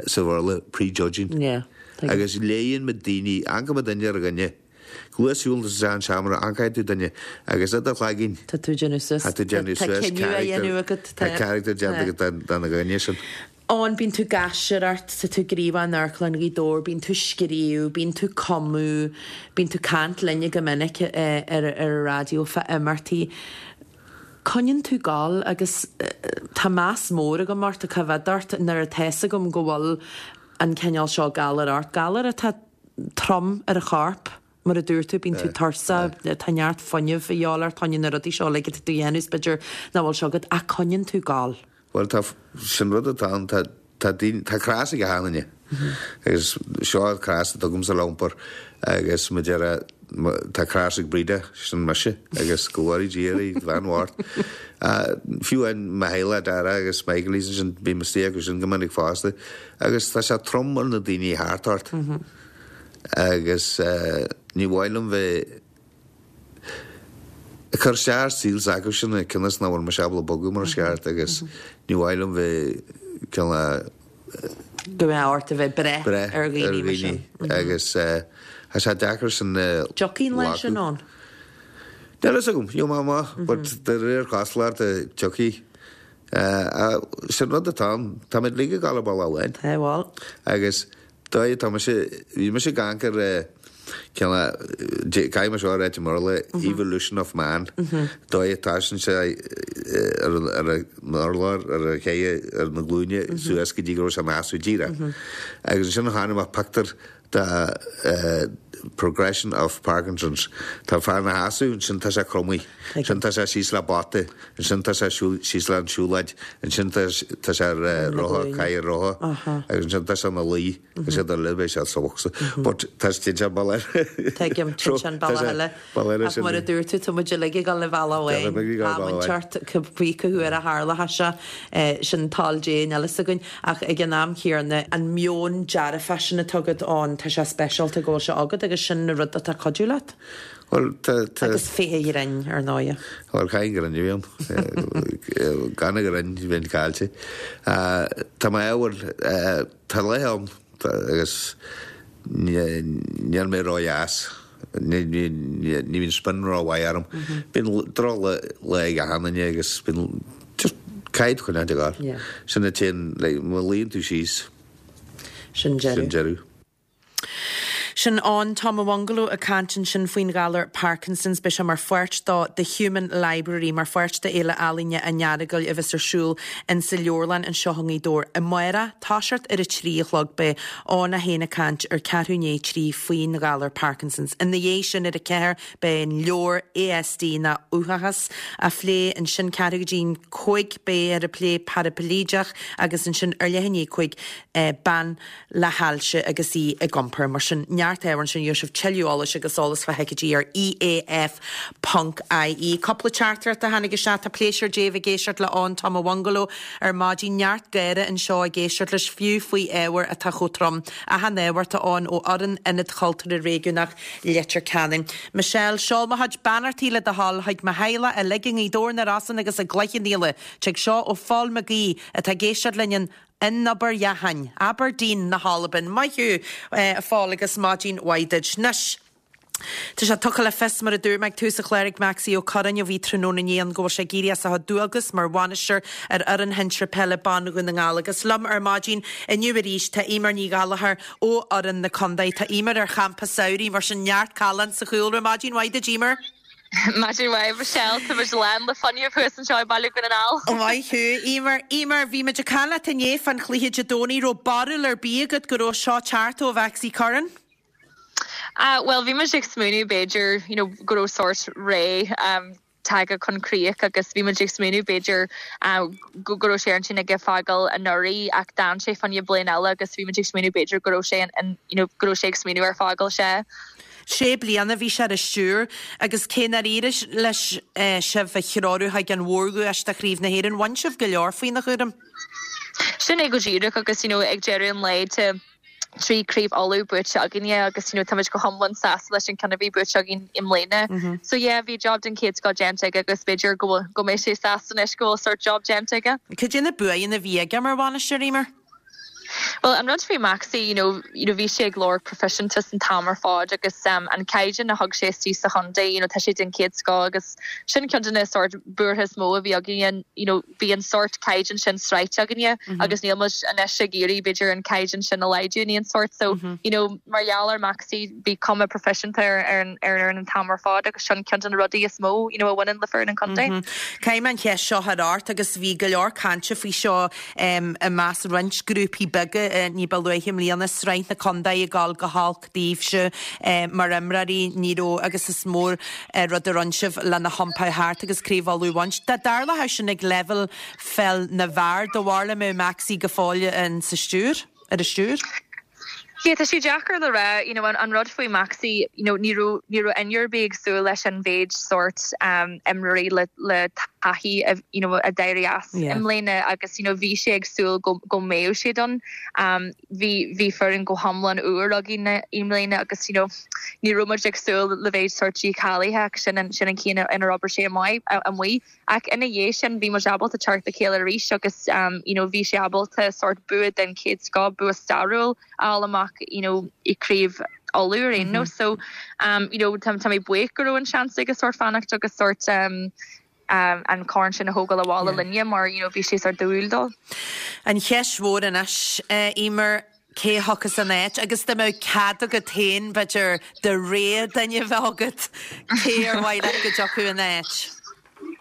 sa Bhéarla, prejudging. Agus léigheann muid daoine, amharcann muid duine ar dhuine. Luas siúil isteach an seomra, amharcann tú duine agus i do chloigeann. Tá tú ag déanamh suas. Tá tú ag déanamh suas. Tá cinneadh á dhéanamh agat. Tá character déanta agat den dhuine sin. Eoin, bíonn tú ag aisteoireacht, tá tú gníomhach in Amharclann Ghaoth Dobhair, bíonn tú ag scríobh, bíonn tú ag cumadh, bíonn tú ag caint linne go minic ar an raidió fá imeachtaí. Coinníonn tú ag gabháil agus tá meas mór agam ort, cá bhfios ort, nuair atá fhios agam go bhfuil an cineál seo galair ort, galar atá trom ar an chorp. Mar a dúirt tú, bíonn tú tuirseach, tá neart fuinnimh a dhíobháil ort, tá na rudaí seo uilig atá tú a dhéanamh is b'fhéidir nach bhfuil seo agat ach coinníonn tú ag gabháil. Bhuel tá, sin rud atá ann, tá, tá daoine, tá cros ag achan duine agus seo an cros atá agamsa le iompar agus mar a déarfá, tá cros ag Breda, sin mise agus go bhfóire Dia uirthi, bhean bhocht. Fiú amháin mo theaghlach, Dara agus Michael, sin, bím istigh acu sin go minic fosta agus tá sé trom ar na daoine thart ort. Agus ní mhaith liom bheith ag cur isteach ar saol s'acu sin cionn is nach bhfuil mise ábalta bogadh mar is ceart agus ní mhaith liom bheith cineál Go mbeadh ort a bheith breith ar dhaoine mar sin. Agus tá sé deacair sin a Tiocfaidh an lá sin ann. Níl a fhios agam, gheobhaidh mé amach, but de réir cosúlachta tiocfaidh. Sin rud atá ann, táimid uilig ag gabháil ar bealach amháin. Tá, bhuel. Agus Dóigh atá mise, bhí mise ag amharc ar cineál, caithfidh mé seo a ráit i mBéarla, evolution of man, dóigh atá sin sé ar an urlár, ar a chéidhe, ar na glúine suas go dtí go raibh sé ina sheasamh díreach. Agus ansin chonaic mé pictiúr de progression of Parkinson's. Tá fear ina sheasamh, ansin tá sé cromtha, ansin tá sé síos le bata, ansin tá sé síos le an siúlóid, ansin tá sé ar rotha, cathaoir rotha, agus ansin tá sé ina luí, agus iad uile, beidh sé sa bhocsa. But tá sé téann sé an bealach eile. Tuigim, téann sé an bealach eile. Ach mar a dúirt tú, tá muid uilig ag dul an bealach amháin. Tá muid ort cibé cá huair a tharlóidh sé, sin toil Dé, níl a fhios againn. Ach ag an am chéanna, an meon dearfach sin atá agat ann, tá sé speisialta go bhfuil sé agat agus sin an rud atá ag cuidiú leat. Bhuel, tá, tá. Agus féith an ghrinn, ar ndóighe. Bhuel, caithfidh an greann a bheith ann. Gan an ghreann, bheinn caillte. Tá mé ábhar, tá laethe ann agus níl mé ródheas. Ní bhíonn spion rómhaith orm. Bíonn drochlá ag achan duine agus bíonn, just caithfidh tú coinneáil ag gabháil. Sin a téann, like, má luíonn tú síos, sin deireadh. Sin Eoin Tom a' Bhungaló ag caint ansin faoin ghalar Parkinson's. Beidh sé mar pháirt do The Human Library, mar pháirt d'Fhéile Ealaíne an Earagail a bheas ar siúl insa Leabharlann anseo i nGaoth Dobhair amárach, toiseacht ar a 3 a chlog. Beidh Eoin é féin ag caint ar ceathrú i ndiaidh a 3 faoin ghalar Parkinson's. Ina dhiaidh sin ar a 4 beidh an leabhar ASD ná Uathachas á phlé ansin ceathrú go dtí an 5 beidh ar ag plé Parapléideach agus ansin ar leath i ndiaidh 5 bean le hailse agus í ag iompar. Mar sin, neart ábhar ansin, gheobhaidh sibh tuilleadh eolais agus eolas fá thicéidí ar EAF ponc IE. Cúpla teachtaireacht a tháinig isteach, tá pléisiúr Dé bheith ag éisteacht le Eoin Tom a' Bhungaló ar maidin, neart gáire anseo ag éisteacht leis, fiú faoi ábhar atá chomh trom. Achan ábhar atá ann ó fhoireann Ionad Chultúrtha Réigiúnach Leitir Ceanainn. Michelle, seol mo chuid beannachtaí le do thoil chuig mo theaghlach uilig i nGaoth Dobhair, na Rosann agus i gCloich Cheann Fhaola. Tig seo ó Phól Mac Aoidh atá ag éisteacht linn in In Obar Dheathain, Aberdeen na hAlban. Maith thú, a Phóil, agus maidin mhaith duit. Anois, tá sé tugtha le fios, mar a dúirt mé ag tús an chláir ag Maxie Ó Curráin, a bhí tráthnóna inné ann, go bhfuil sé ag éirí as a chuid dualgas mar bhainisteoir ar fhoireann shinsir peile ban Dhún na nGall. Agus liom ar maidin inniu arís tá Eimear Ní Ghallchóir ó fhoireann na contae. Tá Eimear ar champa samhraidh, mar sin neart callán sa chúlra. Maidin mhaith duit, Eimear. Maidin mhaith, Michelle. Tá muid lán le fuinneamh thuas anseo i mBaile Dhún na nGall. Maith thú, Eimear. Eimear, bhí muid ag caint leat inné fán chluiche Dé Domhnaigh. Raibh barúil ar bith agat go raibh seo teacht ó Mhaxie Curran? Ah, bhuel, bhí muid ag smaoineamh b'fhéidir, you know, go raibh sórt ré tagtha chun críoch agus bhí muid ag smaoineamh b'fhéidir go raibh sé ar intinn aige fágáil anuraidh ach d'fhan sé fá choinne bliain eile agus bhí muid ag smaoineamh b'fhéidir go raibh sé in, you know, go raibh sé ag smaoineamh ar fágáil, sea. Sé bliana a bhí sé ar an stiúir agus cé nár éirigh leis sibh a threorú chuig an mhórdhuais de Chraobh na hÉireann, bhain sibh go leor faoina chúram. Sin é go díreach agus you know ag deireadh an lae tá. 3 Craobh Uladh buaite againne agus you know táimid go hiomlán sásta leis an ceann a bhí buaite againn i mbliana. So yeah bhí job den chéad scoth déanta aige agus b'fhéidir go bhfuil go mbeidh sé sásta anois go bhfuil sort job déanta aige. Cad é na buanna a bhí aige mar bhainisteoir, Eimear? Bhuel an rud faoi Maxie you know you know bhí sé ag lorg proifisiúntas an t-am ar fad agus um an caighdeán a thug sé istigh sa chontae you know tá sé den chéad scoth agus sin ceann de na sort buartha is mó a bhí againne you know bhí an sórt caighdeán sin sroichte againne agus níl muid anois ag iarraidh b'fhéidir an caighdeán sin a laghdú in aon sórt. So, you know, mar gheall ar Maxie bhí cuma proifisiúnta ar ar an ar an fhoireann an t-am ar fad agus sin ceann de na rudaí is mó, you know, a bhaineann le foireann an chontae. Caithfidh mé an cheist seo a chur ort agus bhí go leor cainte faoi seo i measc roinnt grúpaí beaga ní ba luaithe i mbliana, Sraith na Contae ag dul go holc daoibhse mar imreoirí, ní raibh agus is mór rud a rinne sibh lena hiompar thart agus Craobh Uladh a bhaint. Dá dtarlódh sin ag leibhéal pheil na bhfear, do bharúil an mbeadh Maxie go fóill in sa stiúir, ar an stiúir? Yeah, tá sé deacair le rá, you know, an rud faoi Maxie, you know, ní raibh, ní raibh éinne ar bith ag súil leis an mhéid sórt um, imreoirí le, le taithí a, you know, a d'éirigh as i mbliana agus, you know, bhí sé ag súil go, go mbeadh siad ann. Um, bhí bhí foireann go hiomlán úr againn i mbliana agus you know ní raibh muid ag súil le mhéid sórt dícháilithe ach sin an sin an chaoi inar obair sé amuigh ach ina dhiaidh sin bhí muid ábalta teacht le chéile arís agus um you know bhí sé ábalta sórt bua den chéad scoth, bua stairiúil a fháil amach you know i gCraobh Uladh ar aon nós so um you know tá tá mé buíoch go raibh an seans aige sórt fanacht agus sórt um an corn sin a thógáil abhaile linne mar you know bhí sé sórt dúil dó. An cheist mhór anois, Eimear, cé a thiocfas ina áit agus dá mbeadh cead agat féin, b'fhéidir, do rogha duine a bheith agat, cé ar mhaith leat go dtiocfadh ina áit?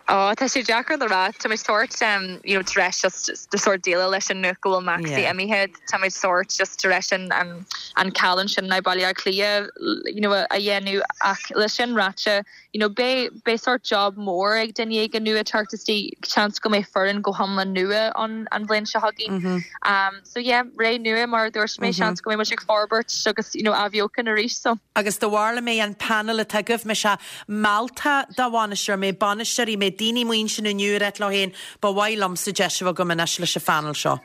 Ó, tá sé deacair le rá. Tá muid sórt, you know, tar éis just sórt déileáil leis an nuacht go bhfuil Maxie imithe. Tá muid sórt just tar éis an, an, an cailliúint sin in Baile Átha Cliath, you know, a dhéanamh ach le sin ráite, you know beidh beidh sórt job mór ag duine éigin nua teacht istigh, seans go mbeidh foireann go hiomlán nua ann an bhliain seo chugainn. Um so yeah, ré nua mar a dúirt mé, seans go mbeidh muid ag forbairt agus you know athbheochan arís so. Agus do bharúil an mbeidh an panel atá agaibh, mbeidh sé mealltach do bhainisteoir, mbeidh bainisteoirí, mbeidh daoine amuigh ansin inniu ag ráit leo féin, ba mhaith liomsa deis a bheith agam anois leis an phanel seo.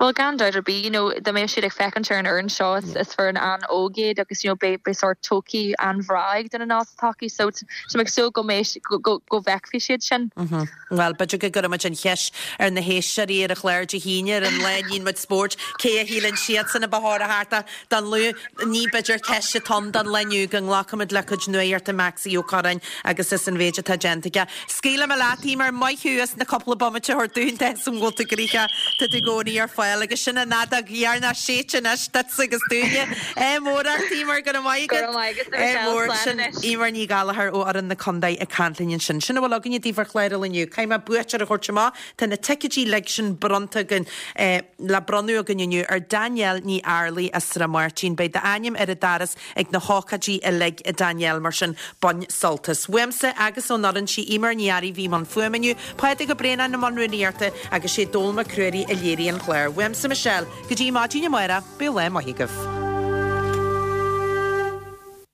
Bhuel, gan dabht ar bith, you know, dá mbeadh siad ag féachaint ar an fhoireann seo, is, is foireann an-óg iad agus, you know, beidh, beidh sórt todhchaí an-bhreá ag duine ná sa todhchaí so tá mé ag súil go mbeidh, go, go, go bhfeicfidh siad sin. Bhuel, b'fhéidir go gcuirfidh muid an cheist ar na héisteoirí ar an chlár Dé hAoine, ar an lá a níonn muid spóirt, cé a shíleann siadsan a ba chóir a theacht ach don lá, ní b'fhéidir ceist atá ann don lá inniu go nglacfaimid le cuid nuachta Maxie Ó Curráin agus as an mhéid atá déanta aige. Scaoilfidh mé leat, Eimear, maith thú as na cúpla bomaite a thabhairt dúinn tá 'fhios a'm go bhfuil tú gnoitheach, tá tú i gcónaí ar fáil agus sin an fheadóg dheireanach séidte anois duitse agus dúinne. Ádh mór ort, Eimear, go raibh maith agat. Go raibh maith agat, Michelle. Ádh mór. Slán Sin anois. Eimear Ní Ghallchóir ó fhoireann na contae ag caint linn ansin. Sin a bhfuil againne daoibh ar chlár an lae inniu. Caithfidh mé buaiteoir a thabhairt amach. Tá na ticéidí uilig sin bronnta againn, le bronnadh againn inniu ar Danielle Ní Fhearlaigh as Srath Máirtín. Beidh d'ainm ar an doras ag na hócáidí uilig, a Danielle, mar sin bain sult as. Uaimse agus ón fhoireann, sí Eimear Ní Fhearraigh a bhí i mbun fuaime inniu, Pádraig Ó Braonáin i mbun rúnaíochta agus sé Dónall Mac Ruairí a léirigh an clár. Uaimse Michelle, go dtí maidin amárach, bíodh lá maith agaibh.